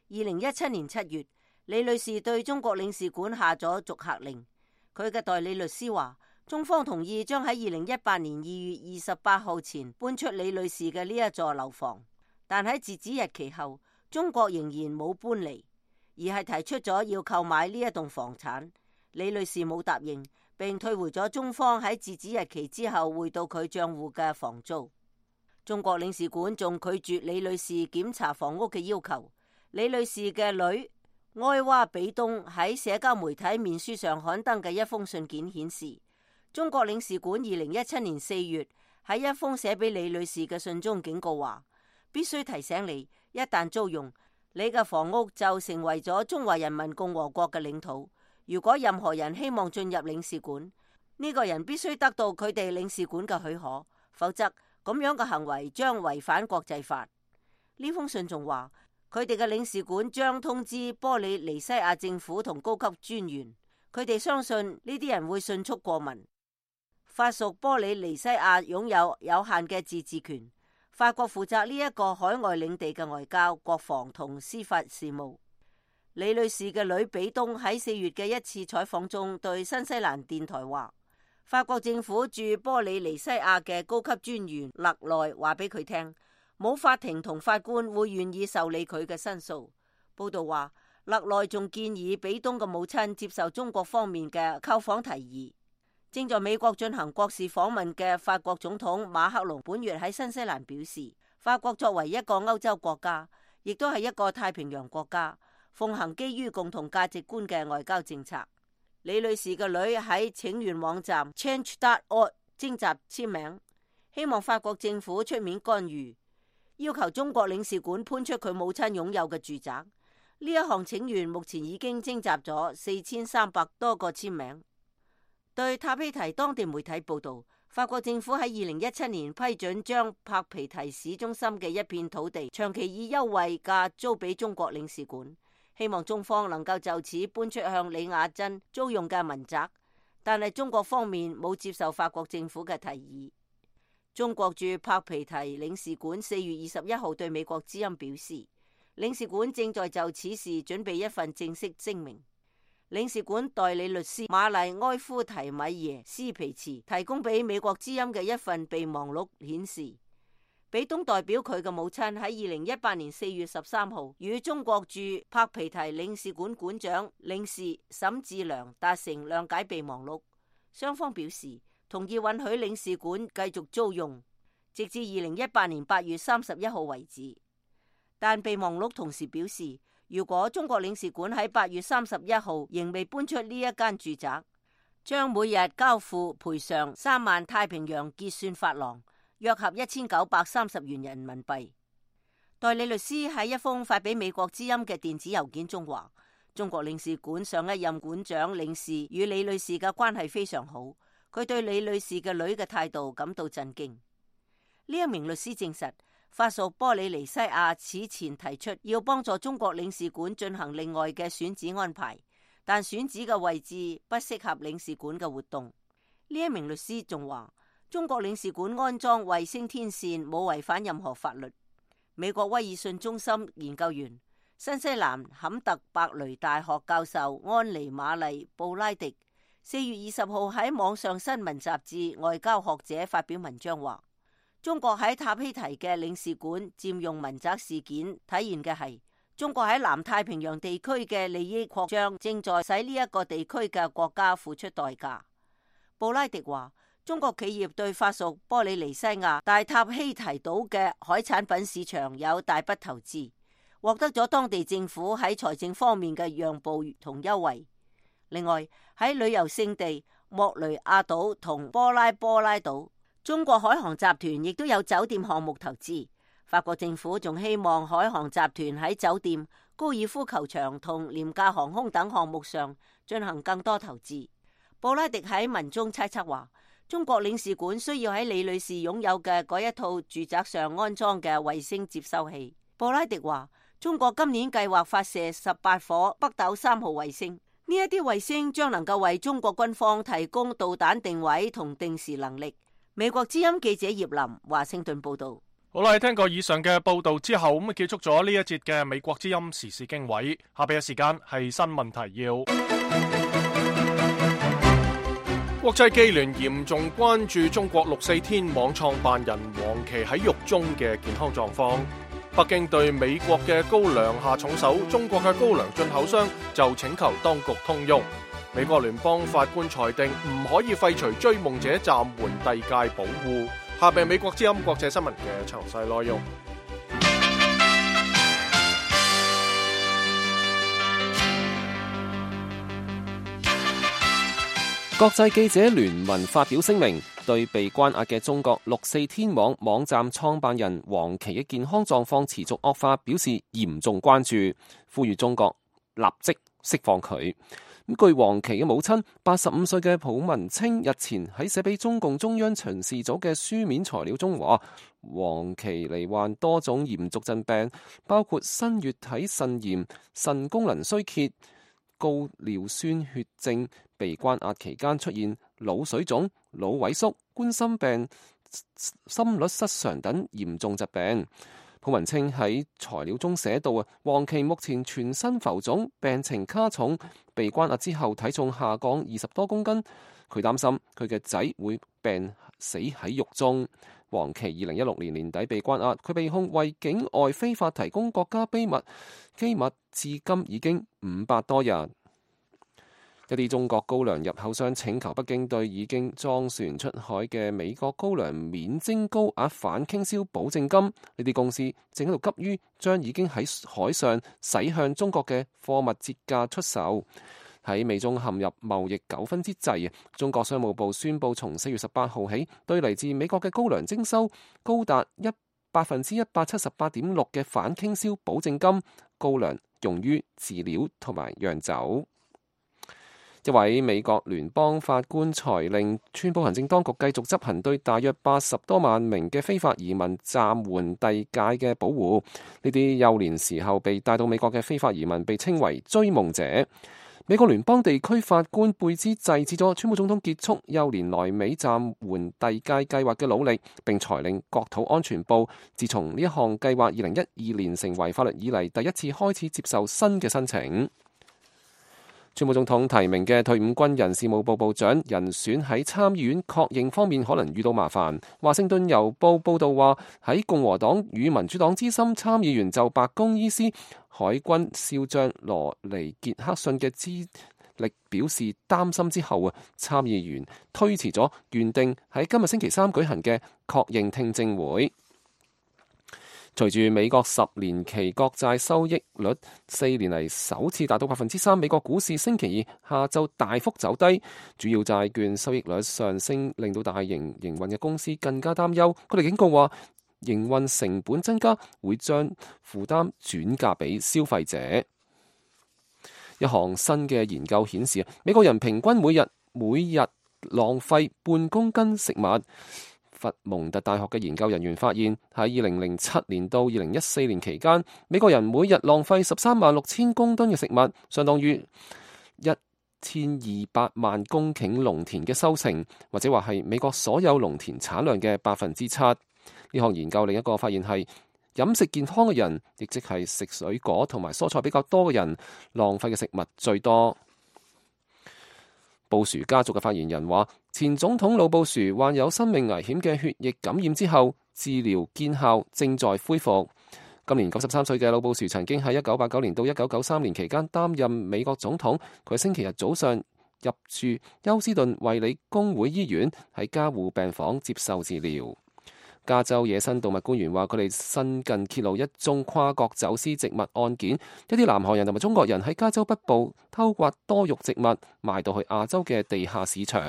2017年7月，李女士對中國領事館下咗逐客令。佢嘅代理律師話，中方同意將喺2018年2月28號前搬出李女士嘅呢一座樓房，但喺截止日期後，中國仍然冇搬離，而係提出咗要購買呢一棟房產。李女士冇答應，並退回咗中方喺截止日期之後匯到佢賬戶嘅房租。中國領事館仲拒絕李女士檢查房屋嘅要求。李女士嘅女埃娃比東喺社交媒體面書上刊登嘅一封信件顯示，中國領事館2017年4月喺一封寫俾李女士嘅信中警告話，必須提醒你，一旦租用，你嘅房屋就成為咗中華人民共和國嘅領土。如果任何人希望進入領事館，呢個人必須得到佢哋領事館嘅許可，否則咁樣嘅行為將違反國際法。呢封信仲話，佢哋嘅領事館將通知波里尼西亞政府同高級專員，佢哋相信呢啲人會迅速過問。法屬波里尼西亞擁有有限嘅自治權，法國負責呢一個海外領地嘅外交、國防同司法事務。李女士嘅女比東喺4月嘅一次採訪中對新西蘭電台話，法國政府駐波里尼西亞嘅高級專員勒內話俾佢聽，冇法庭同法官會願意受理佢嘅申訴。報道話，勒內仲建議比東嘅母親接受中國方面嘅叩訪提議。正在美國進行國事訪問嘅法國總統馬克龍本月喺新西蘭表示，法國作為一個歐洲國家，亦都係一個太平洋國家，奉行基於共同價值觀嘅外交政策。李女士嘅女喺請願網站 Change.org 徵集簽名，希望法國政府出面干預，要求中國領事館搬出佢母親擁有嘅住宅。呢一項請願目前已經徵集咗4300多個簽名。對塔皮提當地媒體報道，法國政府喺2017年批准將柏皮提市中心嘅一片土地長期以優惠價租俾中國領事館，希望中方能夠就此搬出向李雅珍租用嘅民宅，但係中國方面冇接受法國政府嘅提議。中國駐柏皮提領事館4月21號對美國之音表示，領事館正在就此事準備一份正式聲明。領事館代理律師瑪麗埃夫提米耶斯皮茨提供俾美國之音嘅一份備忘錄顯示，比東代表佢嘅母親喺2018年4月13號與中國駐柏皮提領事館館長領事沈志良達成諒解備忘錄，雙方表示同意允許領事館繼續租用，直至2018年8月31號為止。但備忘錄同時表示，如果中國領事館喺8月31號仍未搬出呢一間住宅，將每日交付賠償3萬太平洋結算法郎，約合1930元人民幣。代理律師喺一封發俾美國之音嘅電子郵件中話，中國領事館上一任館長領事與李女士嘅關係非常好，佢對李女士嘅女嘅態度感到震驚。呢一名律師證實，法屬波里尼西亞此前提出要幫助中國領事館進行另外嘅選址安排，但選址嘅位置不適合領事館嘅活動。呢一名律師仲話，中國領事館安裝衛星天線冇違反任何法律。美國威爾遜中心研究員、新西蘭坎特伯雷大學教授安妮瑪麗布拉迪4月20號喺網上新聞雜誌《外交學者》發表文章話，中國喺塔希提嘅領事館佔用民宅事件體現嘅係中國喺南太平洋地區嘅利益擴張正在使呢一個地區嘅國家付出代價。布拉迪話，中國企業對法屬波里尼西亞大塔希提島嘅海產品市場有大筆投資，獲得咗當地政府喺財政方面嘅讓步同優惠。另外喺旅遊勝地莫雷亞島同波拉島，中國海航集團亦都有酒店項目投資。法國政府仲希望海航集團喺酒店、高爾夫球場同廉價航空等項目上進行更多投資。布拉迪喺文中猜測話，中國領事館需要喺李女士擁有嘅嗰一套住宅上安裝嘅衛星接收器。布拉迪話，中國今年計劃發射18顆北斗3號衛星，呢一啲衛星將能夠為中國軍方提供導彈定位同定時能力。美國之音記者葉林華盛頓報道。好啦，聽過以上嘅報道之後，咁結束咗呢一節嘅美國之音時事經緯。下邊嘅時間係新聞提要。國際機聯嚴重關注中國6四天網創辦人王琦喺獄中嘅健康狀況。北京對美國嘅高粱下重手，中國嘅高粱進口商就請求當局通融。美國聯邦法官裁定唔可以廢除追夢者暫緩遞界保護。下邊美國之音國際新聞嘅詳細內容。國際記者聯盟發表聲明，對被關押嘅中國6四天網網站創辦人王琦嘅健康狀況持續惡化表示嚴重關注，呼籲中國立即釋放佢。據王琦嘅母親85歲嘅蒲文清日前喺寫俾中共中央巡視組嘅書面材料中話，王琦罹患多種嚴重疾病，包括新月體腎炎、腎功能衰竭、高尿酸血症，被關押期間出現腦水腫、腦萎縮、冠心病、心律失常等嚴重疾病。蒲文清喺材料中寫到王琦目前全身浮腫，病情加重，被關押之後體重下降20多公斤。佢擔心佢嘅仔會病死喺獄中。王琦2016年年底被關押，佢被控為境外非法提供國家機密，至今已經500多日。一啲中國高粱入口商請求北京對已經裝船出海嘅美國高粱免徵高額反傾銷保證金。呢啲公司正喺度急於將已經喺海上駛向中國嘅貨物折價出售。喺美中陷入貿易糾紛之際，中國商務部宣布從4月18號起，對嚟自美國嘅高粱徵收高達178.6%嘅反傾銷保證金，高粱用於飼料同埋釀酒。一位美國聯邦法官裁令宣布行政當局繼續執行對大約80多萬名嘅非法移民暫緩遞解嘅保護。呢啲幼年時候被帶到美國嘅非法移民被稱為追夢者。美國聯邦地區法官貝茲制止咗川普總統結束幼年來美暫緩遞解計劃嘅努力，並裁令國土安全部自從呢一項計劃2012年成為法律以嚟第一次開始接受新嘅申請。川普總統提名嘅退伍軍人事務部部長人選喺參議院確認方面可能遇到麻煩。華盛頓郵報報道話，喺共和黨與民主黨資深參議員就白宮醫師海軍少將羅尼傑克遜嘅資歷表示擔心之後，參議員推遲咗原定喺今日星期3舉行嘅確認聽證會。隨住美國10年期國債收益率4年嚟首次達到3%，美國股市星期二下晝大幅走低，主要債券收益率上升，令到大型營運嘅公司更加擔憂。佢哋警告話，營運成本增加會將負擔轉嫁俾消費者。一項新嘅研究顯示，美國人平均每日浪費半公斤食物。佛蒙特大學嘅研究人員發現，喺2007年到2014年期間，美國人每日浪費136000公噸嘅食物，相當於1200萬公頃農田嘅收成，或者話係美國所有農田產量嘅7%。呢項研究另一個發現係，飲食健康嘅人，亦即係食水果同埋蔬菜比較多嘅人，浪費嘅食物最多。布殊家族嘅發言人話，前總統老布殊患有生命危險嘅血液感染之後，治療見效，正在恢復。今年93歲嘅老布殊曾經喺1989年到1993年期間擔任美國總統。佢喺星期日早上入住休斯頓衛理公會醫院，喺加護病房接受治療。加州野生動物官員話，佢哋新近揭露一宗跨國走私植物案件，一啲南韓人同埋中國人喺加州北部偷刮多肉植物，賣到去亞洲嘅地下市場。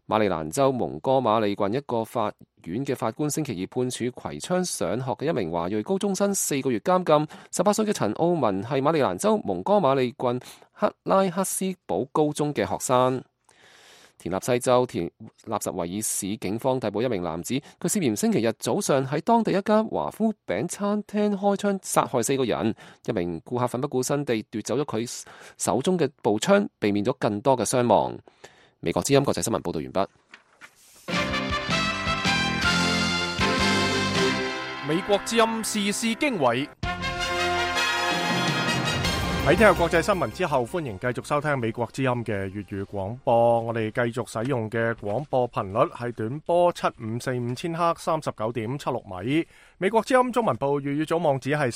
馬里蘭州蒙哥馬利郡一個法院嘅法官星期二判處攜槍上學嘅一名華裔高中生4個月監禁。18歲嘅陳奧文係馬里蘭州蒙哥馬利郡克拉克斯堡高中嘅學生。田納西州納什維爾市警方逮捕一名男子，佢涉嫌星期日早上喺當地一家華夫餅餐廳開槍殺害4個人，一名顧客奮不顧身地奪走咗佢手中嘅步槍，避免咗更多嘅傷亡。美國之音國際新聞報道完畢。美國之音時事經緯。喺聽日國際新聞之後，歡迎繼續收聽美國之音嘅粵語廣播。我哋繼續使用嘅廣播頻率係短波7545千赫39.76米。美國之音中文部粵語組網址係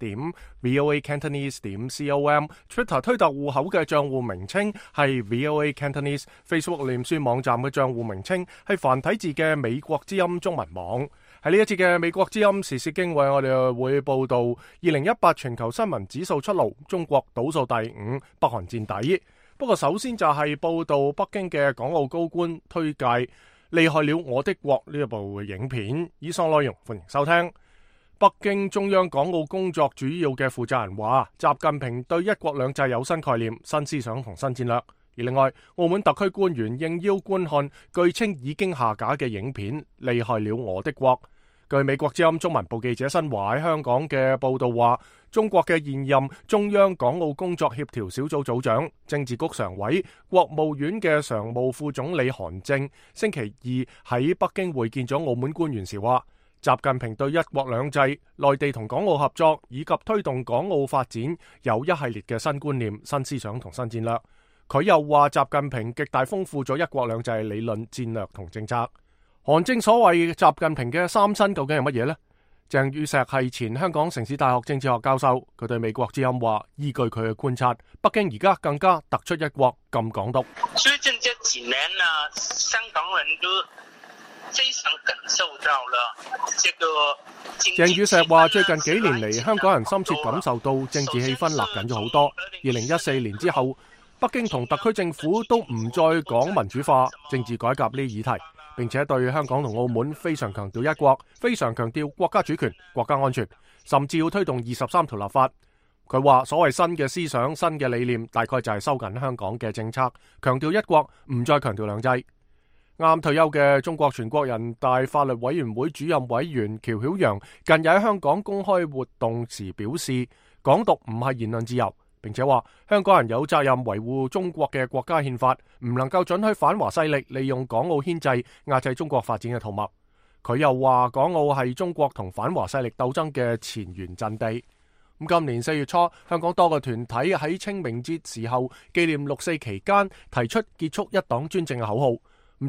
3w.voacantonese.com。Twitter 推特戶口嘅賬戶名稱係 VOA Cantonese。Facebook 臉書網站嘅賬戶名稱係繁體字嘅美國之音中文網。喺呢一節嘅美國之音時事經緯，我哋會報道2018全球新聞指數出爐，中國倒數第5，北韓墊底。不過首先就係報道北京嘅港澳高官推介《厲害了我的國》呢一部影片。以上內容歡迎收聽。北京中央港澳工作主要嘅負責人話，習近平對一國兩制有新概念、新思想同新戰略。而另外，澳門特區官員應邀觀看據稱已經下架嘅影片《厲害了我的國》。據美國之音中文部記者新華喺香港嘅報道話，中國嘅現任中央港澳工作協調小組組長、政治局常委、國務院嘅常務副總理韓正星期二喺北京會見咗澳門官員時話，習近平對一國兩制、內地同港澳合作以及推動港澳發展有一系列嘅新觀念、新思想同新戰略。佢又話，習近平極大豐富咗一國兩制理論、戰略同政策。韓正所謂習近平嘅三新究竟係乜嘢呢？鄭宇碩係前香港城市大學政治學教授，佢對美國之音話，依據佢嘅觀察，北京而家更加突出一國禁港獨。最近這幾年呢，香港人都非常感受到了這個。鄭宇碩話，最近幾年嚟，香港人深切感受到政治氣氛勒緊咗好多。2014年之後，北京同特區政府都唔再講民主化、政治改革呢議題，並且對香港同澳門非常強調一國，非常強調國家主權、國家安全，甚至要推動23條立法。佢話所謂新嘅思想、新嘅理念，大概就係收緊香港嘅政策，強調一國，唔再強調兩制。啱退休嘅中國全國人大法律委員會主任委員喬曉陽近日喺香港公開活動時表示，港獨唔係言論自由，並且話香港人有責任維護中國嘅國家憲法，唔能夠准許反華勢力利用港澳牽制壓制中國發展嘅圖謀。佢又話港澳係中國同反華勢力鬥爭嘅前沿陣地。今年4月初，香港多個團體喺清明節時候紀念6·4期間提出結束一黨專政嘅口號。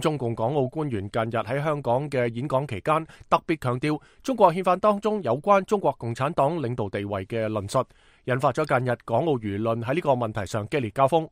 中共港澳官員近日喺香港嘅演講期間，特別強調中國憲法當中有關中國共產黨領導地位嘅論述，引發咗近日港澳輿論喺呢個問題上激烈交鋒。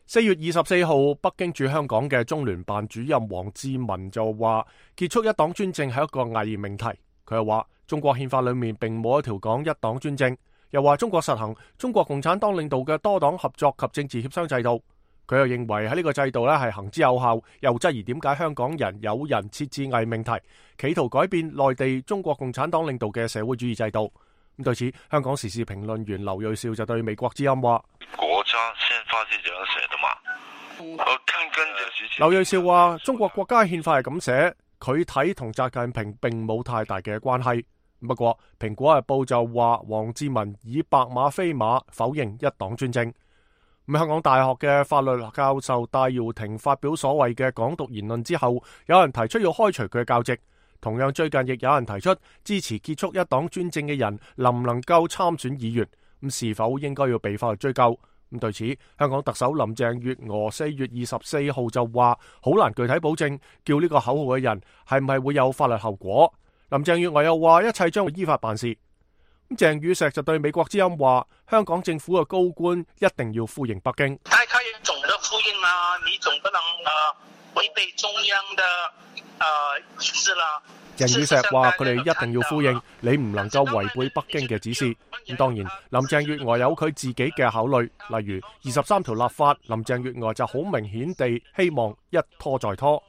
4月24號，北京駐香港嘅中聯辦主任王志民就話，結束一黨專政係一個偽命題。佢又話，中國憲法裏面並冇一條講一黨專政，又話中國實行中國共產黨領導嘅多黨合作及政治協商制度。佢又認為喺呢個制度係行之有效，又質疑點解香港人有人設置偽命題，企圖改變內地中國共產黨領導嘅社會主義制度。對此，香港時事評論員劉銳紹就對美國之音話：國家憲法係這樣寫的嘛？劉銳紹話：中國國家憲法係咁寫，佢睇同習近平並冇太大嘅關係。不過，蘋果日報就話王志民以白馬非馬否認一黨專政。香港大學嘅法律教授戴耀廷發表所謂嘅港獨言論之後，有人提出要開除佢嘅教職。同樣最近亦有人提出支持結束一黨專政嘅人能唔能夠參選議員，是否應該要被法律追究。對此，香港特首林鄭月娥4月24號就話好難具體保證叫呢個口號嘅人係唔係會有法律後果。林鄭月娥又話一切將會依法辦事。鄭宇碩就對美國之音話，香港政府嘅高官一定要呼應北京。大家要總的呼應啊，你總不能違背中央的指示啦。鄭宇碩話佢哋一定要呼應，你唔能夠違背北京嘅指示。當然，林鄭月娥有佢自己嘅考慮，例如23條立法，林鄭月娥就好明顯地希望一拖再拖。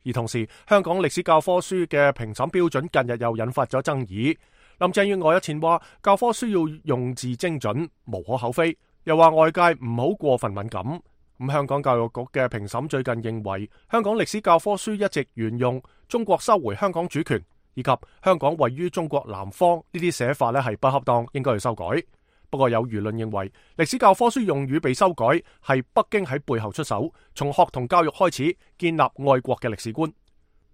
而同時，香港歷史教科書嘅評審標準近日又引發咗爭議。林鄭月娥日前話教科書要用字精準，無可厚非，又話外界唔好過分敏感。香港教育局嘅評審最近認為，香港歷史教科書一直沿用中國收回香港主權以及香港位於中國南方呢啲寫法係不恰當，應該去修改。不過有輿論認為，歷史教科書用語被修改係北京喺背後出手，從學童教育開始建立愛國嘅歷史觀。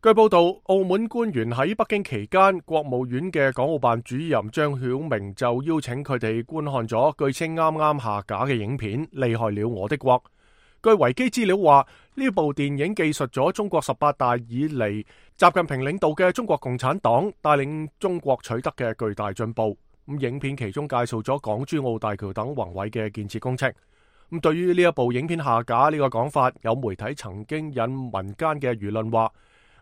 據報道，澳門官員喺北京期間，國務院嘅港澳辦主任張曉明就邀請佢哋觀看咗據稱啱啱下架嘅影片《厲害了我的國》。據維基資料話，呢部電影記述咗中國18大以嚟習近平領導嘅中國共產黨帶領中國取得嘅巨大進步。影片其中介紹咗港珠澳大橋等宏偉嘅建設工程。對於呢一部影片下架呢個講法，有媒體曾經引民間嘅輿論話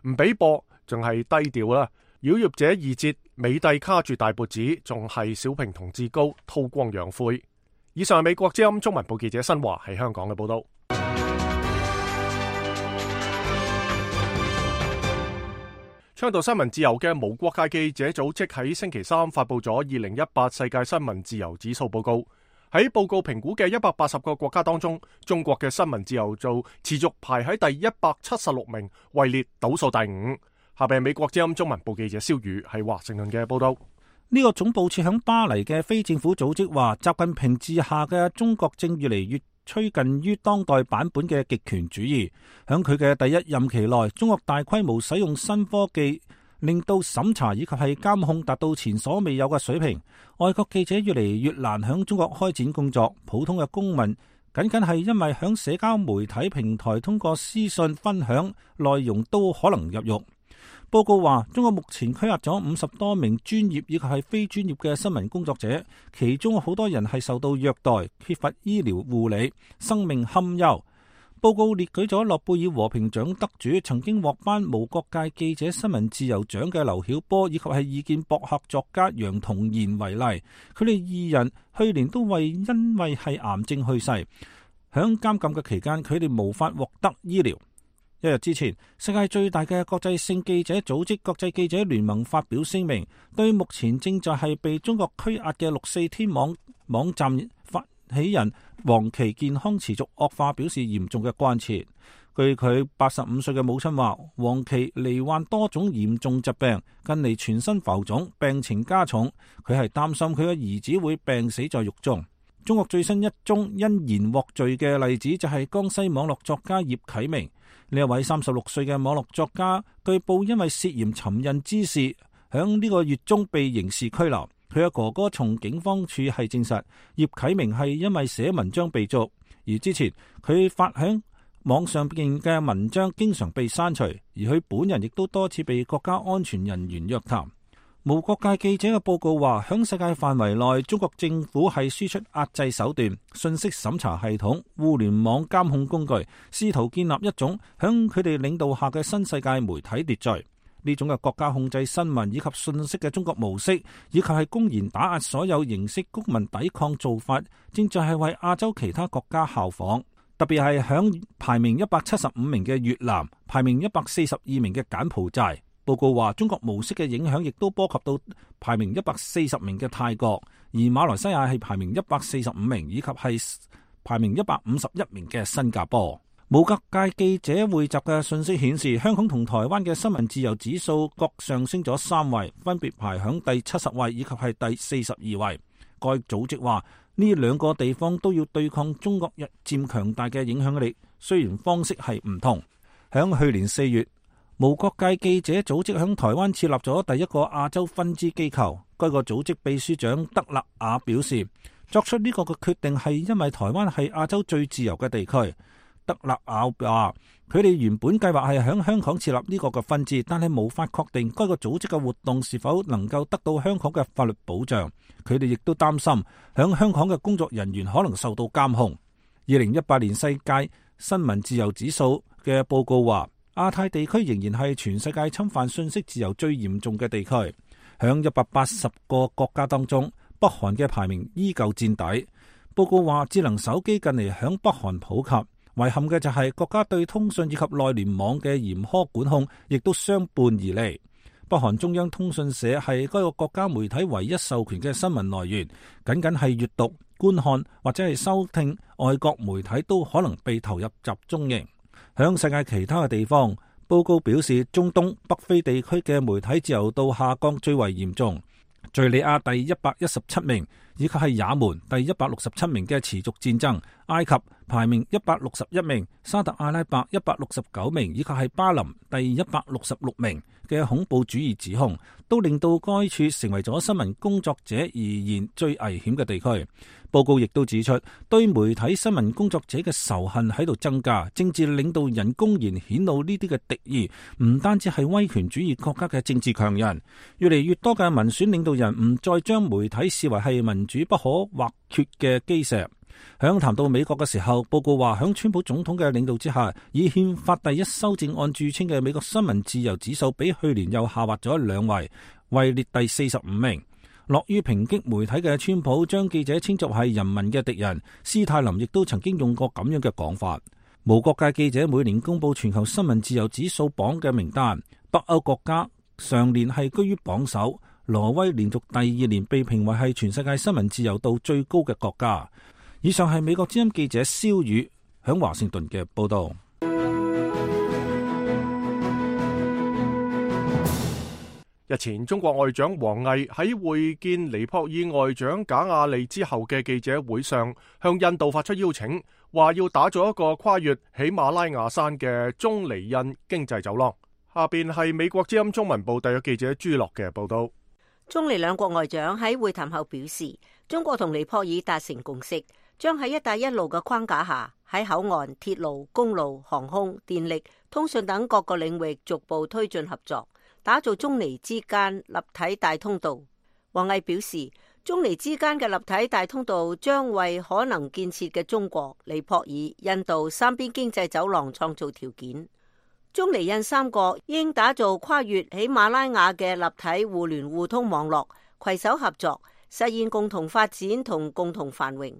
唔俾播，仲係低調啦。妖孽者二節，美帝卡住大脖子，仲係小平同志高，韜光養晦。以上係美國之音中文部記者新華喺香港嘅報道。倡導新聞自由嘅無國界記者組織喺星期三發佈咗2018世界新聞自由指數報告。喺報告評估嘅180個國家當中，中國嘅新聞自由度持續排喺第176名，位列倒數第5。下邊係美國之音中文部記者蕭宇喺華盛頓嘅報道。呢個總部設響巴黎嘅非政府組織話，習近平治下嘅中國正越嚟越趨近於當代版本嘅極權主義。響佢嘅第一任期內，中國大規模使用新科技，令到審查以及係監控達到前所未有嘅水平。外國記者越嚟越難響中國開展工作，普通嘅公民僅僅係因為響社交媒體平台通過私信分享內容都可能入獄。報告話，中國目前拘押咗50多名專業以及係非專業嘅新聞工作者，其中好多人係受到虐待、缺乏醫療護理、生命堪憂。報告列舉咗諾貝爾和平獎得主、曾經獲頒無國界記者新聞自由獎嘅劉曉波以及係意見博客作家楊同賢為例，佢哋二人去年都因為係癌症去世。響監禁嘅期間，佢哋無法獲得醫療。一日之前，世界最大嘅國際性記者組織國際記者聯盟發表聲明，對目前正在係被中國拘押嘅6四天網站發起人黃琦健康持續惡化表示嚴重嘅關切。據佢85歲嘅母親話，黃琦罹患多種嚴重疾病，近嚟全身浮腫，病情加重，佢係擔心佢嘅兒子會病死在獄中。中國最新一宗因言獲罪嘅例子就係江西網絡作家葉啟明。呢一位36歲嘅網絡作家，據報因為涉嫌尋釁滋事，響呢個月中被刑事拘留。佢嘅哥哥從警方處係證實，葉啟明係因為寫文章被捉，而之前佢發響網上邊嘅文章經常被刪除，而佢本人亦都多次被國家安全人員約談。無國界記者嘅報告話，響世界範圍內，中國政府係輸出壓制手段、信息審查系統、互聯網監控工具，試圖建立一種響佢哋領導下嘅新世界媒體秩序。呢種嘅國家控制新聞以及信息嘅中國模式，以及係公然打壓所有形式公民抵抗做法，正在係為亞洲其他國家效仿。特別係響排名175名嘅越南、排名142名嘅柬埔寨。報告話，中國模式嘅影響亦都波及到排名140名嘅泰國，而馬來西亞係排名145名，以及係排名151名嘅新加坡。無國界記者匯集嘅信息顯示，香港同台灣嘅新聞自由指數各上升咗3位，分別排響第70位以及係第42位。該組織話，呢兩個地方都要對抗中國日漸強大嘅影響力，雖然方式係唔同。響去年4月，無國界記者組織響台灣設立咗第一個亞洲分支機構。該個組織秘書長德勒雅表示，作出呢個嘅決定係因為台灣係亞洲最自由嘅地區。德勒雅話，佢哋原本計劃係響香港設立呢個嘅分支，但係無法確定該個組織嘅活動是否能夠得到香港嘅法律保障。佢哋亦都擔心響香港嘅工作人員可能受到監控。2018年世界新聞自由指數嘅報告話，亞太地區仍然係全世界侵犯信息自由最嚴重嘅地區。響180個國家當中，北韓嘅排名依舊墊底。報告話，智能手機近嚟響北韓普及，遺憾嘅就係國家對通訊以及內聯網嘅嚴苛管控，亦都相伴而嚟。北韓中央通訊社係該個國家媒體唯一授權嘅新聞來源，僅僅係閱讀、觀看或者係收聽外國媒體都可能被投入集中營。響世界其他嘅地方，報告表示中東北非地區嘅媒體自由度下降最為嚴重，敘利亞第117名，以及係也門第167名嘅持續戰爭，埃及排名161名，沙特阿拉伯169名，以及係巴林第166名嘅恐怖主義指控，都令到該處成為咗新聞工作者而言最危險嘅地區。報告亦都指出，對媒體新聞工作者嘅仇恨喺度增加，政治領導人公然顯露呢啲嘅敵意，唔單止係威權主義國家嘅政治強人，越嚟越多嘅民選領導人唔再將媒體視為係民主不可或缺嘅基石。響談到美國嘅時候，報告話響川普總統嘅領導之下，以憲法第一修正案著稱嘅美國新聞自由指數比去年又下滑咗2位，位列第45名。樂於抨擊媒體嘅川普將記者稱作係人民嘅敵人，斯泰林亦都曾經用過咁樣嘅講法。無國界記者每年公布全球新聞自由指數榜嘅名單，北歐國家上年係居於榜首，挪威連續第2年被評為係全世界新聞自由度最高嘅國家。以上係美國之音記者蕭宇響華盛頓嘅報道。日前，中國外長王毅喺會見尼泊爾外長賈亞利之後嘅記者會上，向印度發出邀請，話要打造一個跨越喜馬拉雅山嘅中尼印經濟走廊。下邊係美國之音中文部特約記者朱樂嘅報道。中尼兩國外長喺會談後表示，中國同尼泊爾達成共識，將喺一帶一路嘅框架下，喺口岸、鐵路、公路、航空、電力、通訊等各個領域逐步推進合作，打造中尼之間立體大通道。王毅表示，中尼之間嘅立體大通道將為可能建設嘅中國、尼泊爾、印度三邊經濟走廊創造條件。中尼印三國應打造跨越喜馬拉雅嘅立體互聯互通網絡，攜手合作，實現共同發展同共同繁榮。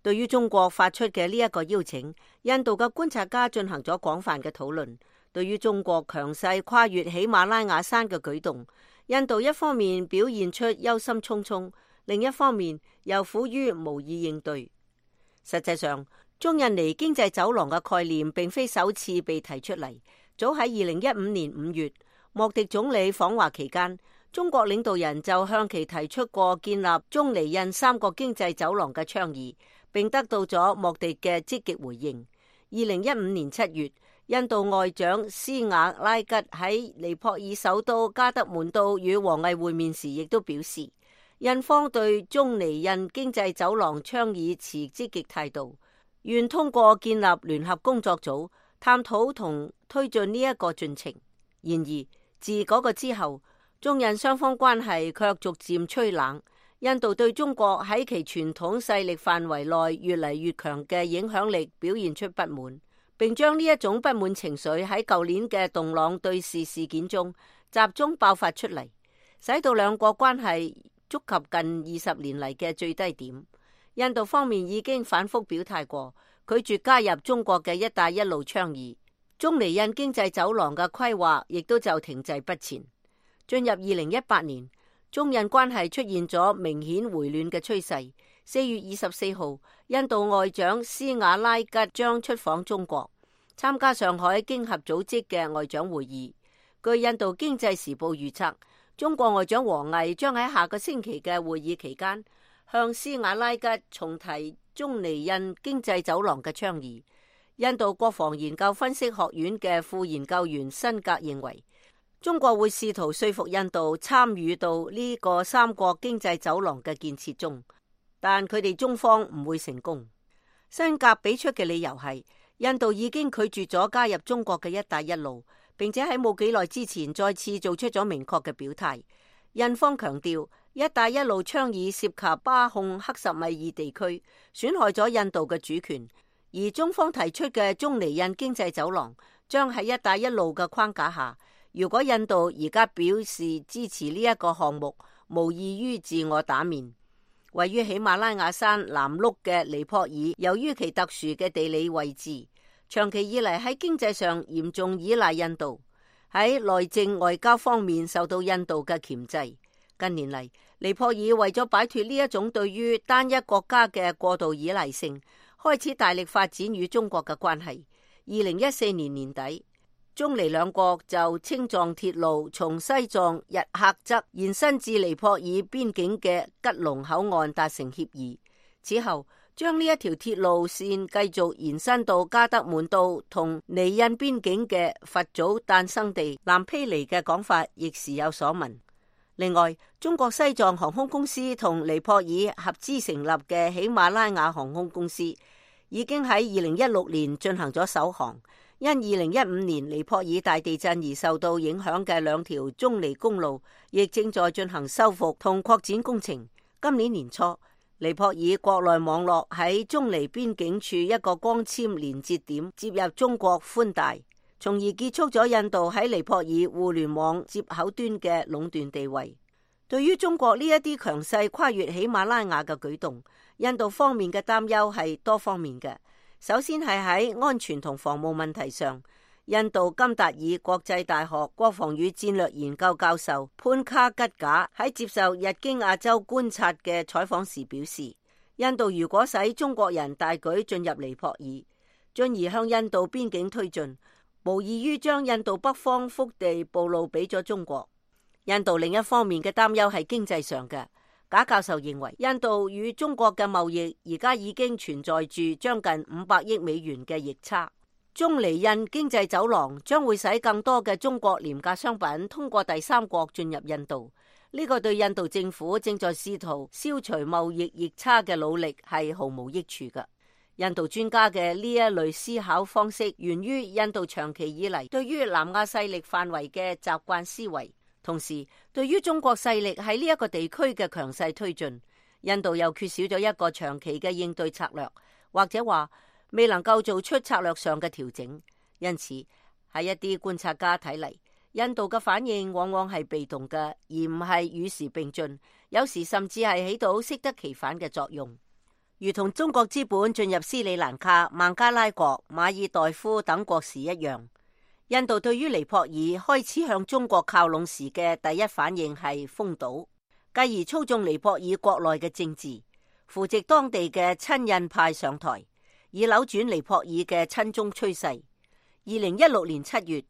對於中國發出嘅呢一個邀請，印度嘅觀察家進行咗廣泛嘅討論。對於中國強勢跨越喜馬拉雅山嘅舉動，印度一方面表現出憂心忡忡，另一方面又苦於無意應對。實際上，中印尼經濟走廊嘅概念並非首次被提出嚟。早喺2015年5月，莫迪總理訪華期間，中國領導人就向其提出過建立中尼印三國經濟走廊嘅倡議，並得到咗莫迪嘅積極回應。2015年7月，印度外長斯瓦拉吉喺尼泊爾首都加德滿都與王毅會面時，亦都表示，印方對中尼印經濟走廊倡議持積極態度，願通過建立聯合工作組，探討同推進呢一個進程。然而，自嗰個之後，中印雙方關係卻逐漸趨冷。印度對中國喺其傳統勢力範圍內越嚟越強嘅影響力表現出不滿，並將呢一種不滿情緒喺舊年嘅洞朗對峙事件中集中爆發出嚟，使到兩國關係觸及近20年嚟嘅最低點。印度方面已經反覆表態過，拒絕加入中國嘅一帶一路倡議，中尼印經濟走廊嘅規劃亦都就停滯不前。進入2018年，中印關係出現咗明顯回暖嘅趨勢。4月24號，印度外長斯瓦拉吉將出訪中國，參加上海經合組織嘅外長會議。據印度經濟時報預測，中國外長王毅將喺下個星期嘅會議期間，向斯瓦拉吉重提中尼印經濟走廊嘅倡議。印度國防研究分析學院嘅副研究員辛格認為，中國會試圖說服印度參與到呢個三國經濟走廊嘅建設中，但佢哋中方唔會成功。辛格俾出嘅理由係，印度已經拒絕咗加入中國嘅一帶一路，並且喺冇幾耐之前再次做出咗明確嘅表態。印方強調，一帶一路倡議涉及巴控克什米爾地區，損害咗印度嘅主權，而中方提出嘅中尼印經濟走廊將喺一帶一路嘅框架下。如果印度而家表示支持呢一個項目，無異於自我打面。位於喜馬拉雅山南麓嘅尼泊爾，由於其特殊嘅地理位置，長期以嚟喺經濟上嚴重依賴印度。喺內政外交方面受到印度嘅鉗制。近年嚟，尼泊爾為咗擺脫呢一種對於單一國家嘅過度依賴性，開始大力發展與中國嘅關係。2014年年底，中尼兩國就青藏鐵路從西藏日喀則延伸至尼泊爾邊境嘅吉隆口岸達成協議。此後，將呢一條鐵路線繼續延伸到加德滿都同尼印邊境嘅佛祖誕生地南披尼嘅講法亦時有所聞。另外，中國西藏航空公司同尼泊爾合資成立嘅喜馬拉雅航空公司已經喺2016年進行咗首航。因2015年尼泊爾大地震而受到影響嘅兩條中尼公路，亦正在進行修復同擴展工程。今年年初，尼泊爾國內網絡喺中尼邊境處一個光纖連接點接入中國寬帶，從而結束咗印度喺尼泊爾互聯網接口端嘅壟斷地位。對於中國呢一啲強勢跨越喜馬拉雅嘅舉動，印度方面嘅擔憂係多方面嘅。首先係喺安全同防務問題上，印度金達爾國際大學國防與戰略研究教授潘卡吉賈喺接受日經亞洲觀察嘅採訪時表示，印度如果使中國人大舉進入尼泊爾，進而向印度邊境推進，無異於將印度北方腹地暴露俾咗中國。印度另一方面嘅擔憂係經濟上嘅。賈教授認為，印度與中國嘅貿易而家已經存在住將近500億美元嘅逆差。中尼印經濟走廊將會使更多嘅中國廉價商品通過第三國進入印度。呢個對印度政府正在試圖消除貿易逆差嘅努力係毫無益處嘅。印度專家嘅呢一類思考方式源於印度長期以嚟對於南亞勢力範圍嘅習慣思維。同時，對於中國勢力喺呢一個地區嘅強勢推進，印度又缺少咗一個長期嘅應對策略，或者話未能夠做出策略上嘅調整。因此，喺一啲觀察家睇嚟，印度嘅反應往往係被動嘅，而唔係與時並進，有時甚至係起到適得其反嘅作用。如同中國資本進入斯里蘭卡、孟加拉國、馬爾代夫等國時一樣，印度對於尼泊爾開始向中國靠攏時嘅第一反應係封堵，繼而操縱尼泊爾國內嘅政治，扶植當地嘅親印派上台，以扭轉尼泊爾嘅親中趨勢。2016年7月，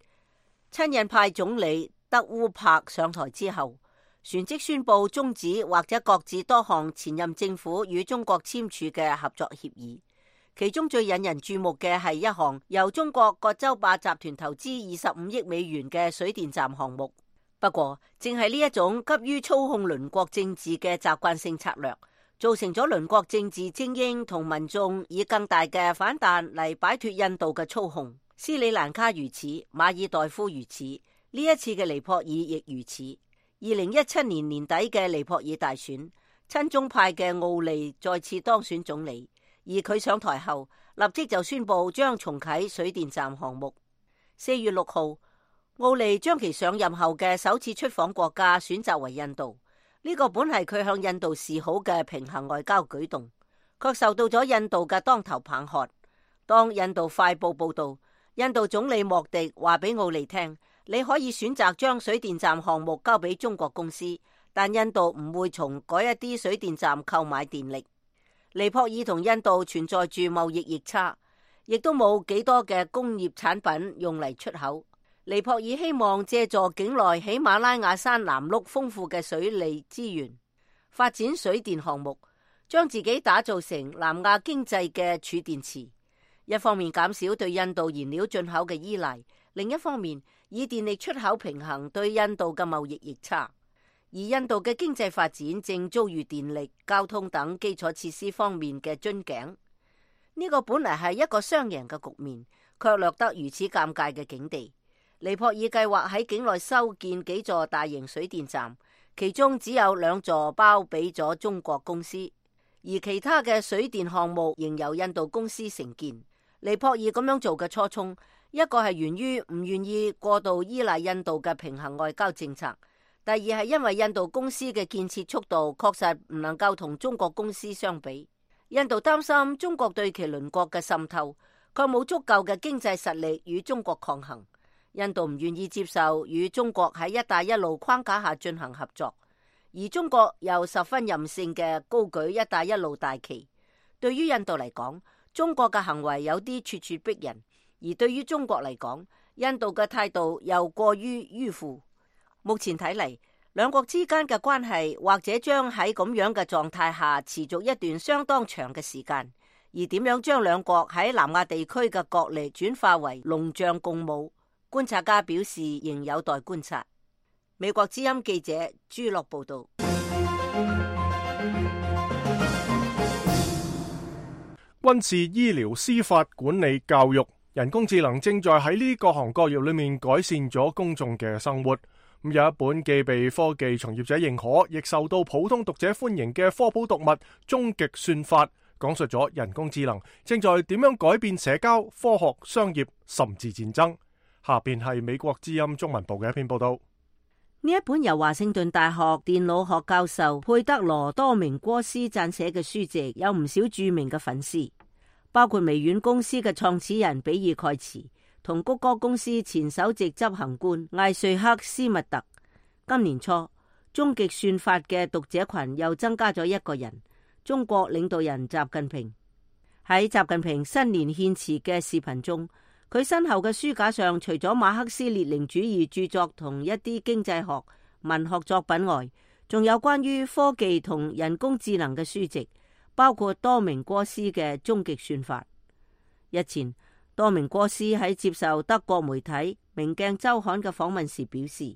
親印派總理德烏柏上台之後，旋即宣布終止或者擱置多項前任政府與中國簽署嘅合作協議。其中最引人注目嘅係一項由中國葛洲壩集團投資25億美元嘅水電站項目。不過，正係呢一種急於操控鄰國政治嘅習慣性策略，造成咗鄰國政治精英同民眾以更大嘅反彈嚟擺脫印度嘅操控。斯里蘭卡如此，馬爾代夫如此，呢一次嘅尼泊爾亦如此。2017年年底嘅尼泊爾大選，親中派嘅奧利再次當選總理。而佢上台後，立即就宣布將重啟水電站項目。4月6號，奧利將其上任後嘅首次出訪國家選擇為印度。呢個本係佢向印度示好嘅平衡外交舉動，卻受到咗印度嘅當頭棒喝。當印度快報報道，印度總理莫迪話俾奧利聽，你可以選擇將水電站項目交俾中國公司，但印度唔會從嗰一啲水電站購買電力。尼泊爾同印度存在住貿易逆差，亦都冇幾多嘅工業產品用嚟出口。尼泊爾希望借助境內喜馬拉雅山南麓豐富嘅水利資源，發展水電項目，將自己打造成南亞經濟嘅儲電池。一方面減少對印度燃料進口嘅依賴，另一方面以電力出口平衡對印度嘅貿易逆差。而印度嘅經濟發展正遭遇電力、交通等基礎設施方面嘅樽頸。呢個本嚟係一個雙贏嘅局面，卻落得如此尷尬嘅境地。尼泊爾計劃喺境內修建幾座大型水電站，其中只有2座包俾咗中國公司，而其他嘅水電項目仍由印度公司承建。尼泊爾咁樣做嘅初衷，一個係源於唔願意過度依賴印度嘅平衡外交政策。第二係因為印度公司嘅建設速度確實唔能夠同中國公司相比，印度擔心中國對其鄰國嘅滲透，卻冇足夠嘅經濟實力與中國抗衡。印度唔願意接受與中國喺一帶一路框架下進行合作，而中國又十分任性嘅高舉一帶一路大旗。對於印度嚟講，中國嘅行為有啲咄咄逼人，而對於中國嚟講，印度嘅態度又過於迂腐。目前睇嚟，兩國之間嘅關係或者將喺咁樣嘅狀態下持續一段相當長嘅時間。而點樣將兩國喺南亞地區嘅角力轉化為龍象共舞，觀察家表示仍有待觀察。美國之音記者朱樂報道。軍事、醫療、司法、管理、教育，人工智能正在喺呢各行各業裏面改善咗公眾嘅生活。咁有一本既被科技從業者認可，亦受到普通讀者歡迎嘅科普讀物《終極算法》，講述咗人工智能正在點樣改變社交、科學、商業，甚至戰爭。下邊係美國之音中文部嘅一篇報道。呢一本由華盛頓大學電腦學教授佩德羅多明戈斯撰寫嘅書籍，有唔少著名嘅粉絲，包括微軟公司嘅創始人比爾蓋茨同谷歌公司前首席執行官艾瑞克斯密特。今年初，終極算法嘅讀者群又增加咗一個人，中國領導人習近平。喺習近平新年獻辭嘅視頻中，佢身後嘅書架上除咗馬克思列寧主義著作同一啲經濟學、文學作品外，仲有關於科技同人工智能嘅書籍，包括多明戈斯嘅《終極算法》。日前，多明戈斯喺接受德國媒體《明鏡週刊》嘅訪問時表示，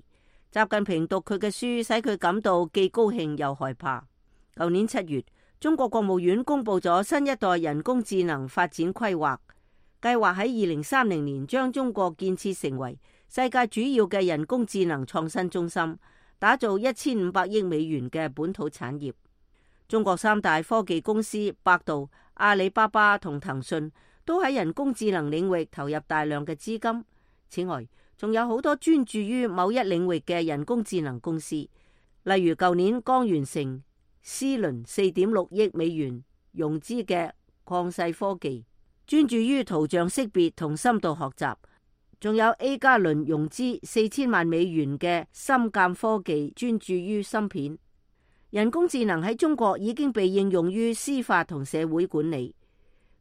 習近平讀佢嘅書使佢感到既高興又害怕。舊年7月，中國國務院公布咗新一代人工智能發展規劃，計劃喺2030年將中國建設成為世界主要嘅人工智能創新中心，打造1500億美元嘅本土產業。中國3大科技公司百度、阿里巴巴同騰訊都喺人工智能領域投入大量嘅資金。此外，仲有好多專注於某一領域嘅人工智能公司，例如舊年剛完成 C 輪4.6億美元融資嘅曠世科技，專注於圖像識別同深度學習，仲有 A 加輪融資4000萬美元嘅深鑑科技，專注於芯片。人工智能喺中國已經被應用於司法同社會管理。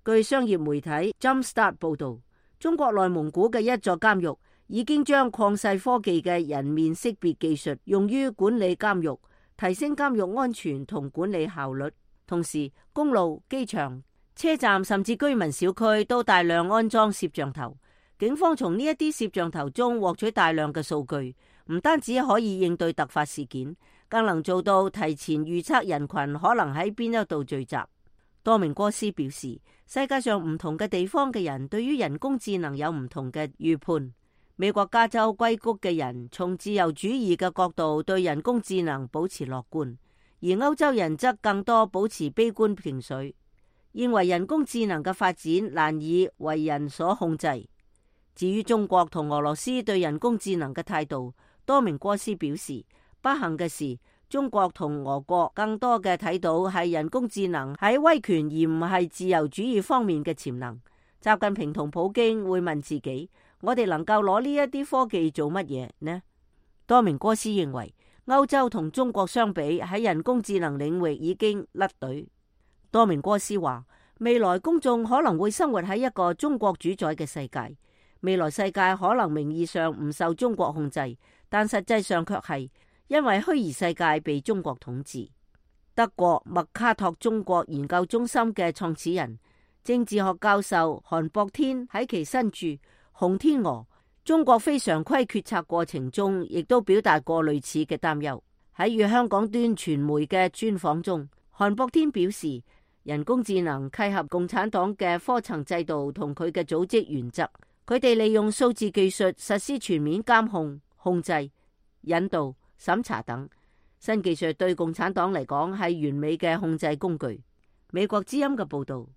據商業媒體 Jumpstart 報道，中國內蒙古嘅一座監獄已經將曠世科技嘅人面識別技術用於管理監獄，提升監獄安全同管理效率。同時，公路、機場、車站甚至居民小區都大量安裝攝像頭。警方從呢一啲攝像頭中獲取大量嘅數據，唔單止可以應對突發事件，更能做到提前預測人群可能喺邊一度聚集。多明戈斯表示，世界上唔同嘅地方嘅人對於人工智能有唔同嘅預判。美國加州硅谷嘅人從自由主義嘅角度對人工智能保持樂觀，而歐洲人則更多保持悲觀情緒，認為人工智能嘅發展難以為人所控制。至於中國同俄羅斯對人工智能嘅態度，多明戈斯表示，不幸嘅是，中國同俄國更多嘅睇到係人工智能喺威權而唔係自由主義方面嘅潛能。習近平同普京會問自己，我哋能夠攞呢一啲科技做乜嘢呢？多明戈斯認為，歐洲同中國相比喺人工智能領域已經甩隊。多明戈斯話，未來公眾可能會生活喺一個中國主宰嘅世界，未來世界可能名義上唔受中國控制，但實際上卻係因為虛擬世界被中國統治。德國麥卡托中國研究中心嘅創始人、政治學教授韓博天喺其新著《紅天鵝：中國非常規決策過程》中，亦都表達過類似嘅擔憂。喺與香港端傳媒嘅專訪中，韓博天表示，人工智能契合共產黨嘅科層制度同佢嘅組織原則，佢哋利用數字技術實施全面監控、控制、引導、審查等。新技術對共產黨嚟講係完美嘅控制工具。美國之音嘅報道。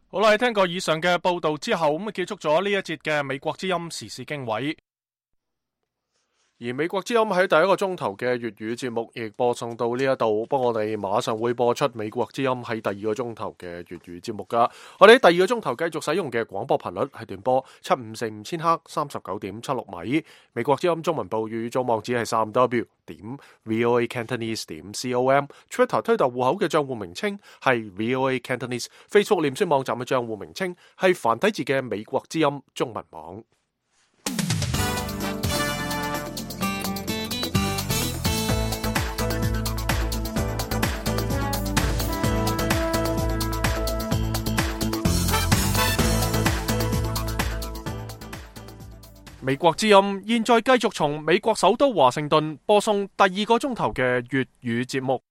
好啦，聽過以上嘅報道之後，咁結束咗呢一節嘅美國之音時事經緯。而美國之音喺第一個鐘頭嘅粵語節目亦播送到呢一度，不過我哋馬上會播出美國之音喺第二個鐘頭嘅粵語節目噶。我哋喺第二個鐘頭繼續使用嘅廣播頻率係段波7545千赫39.76米。美國之音中文部粵語組網址係3w.voacantonese.com。Twitter 推特戶口嘅賬戶名稱係 VOA Cantonese。Facebook 臉書網站嘅賬戶名稱係繁體字嘅美國之音中文網。美國之音現在繼續從美國首都華盛頓播送第二個鐘頭嘅粵語節目。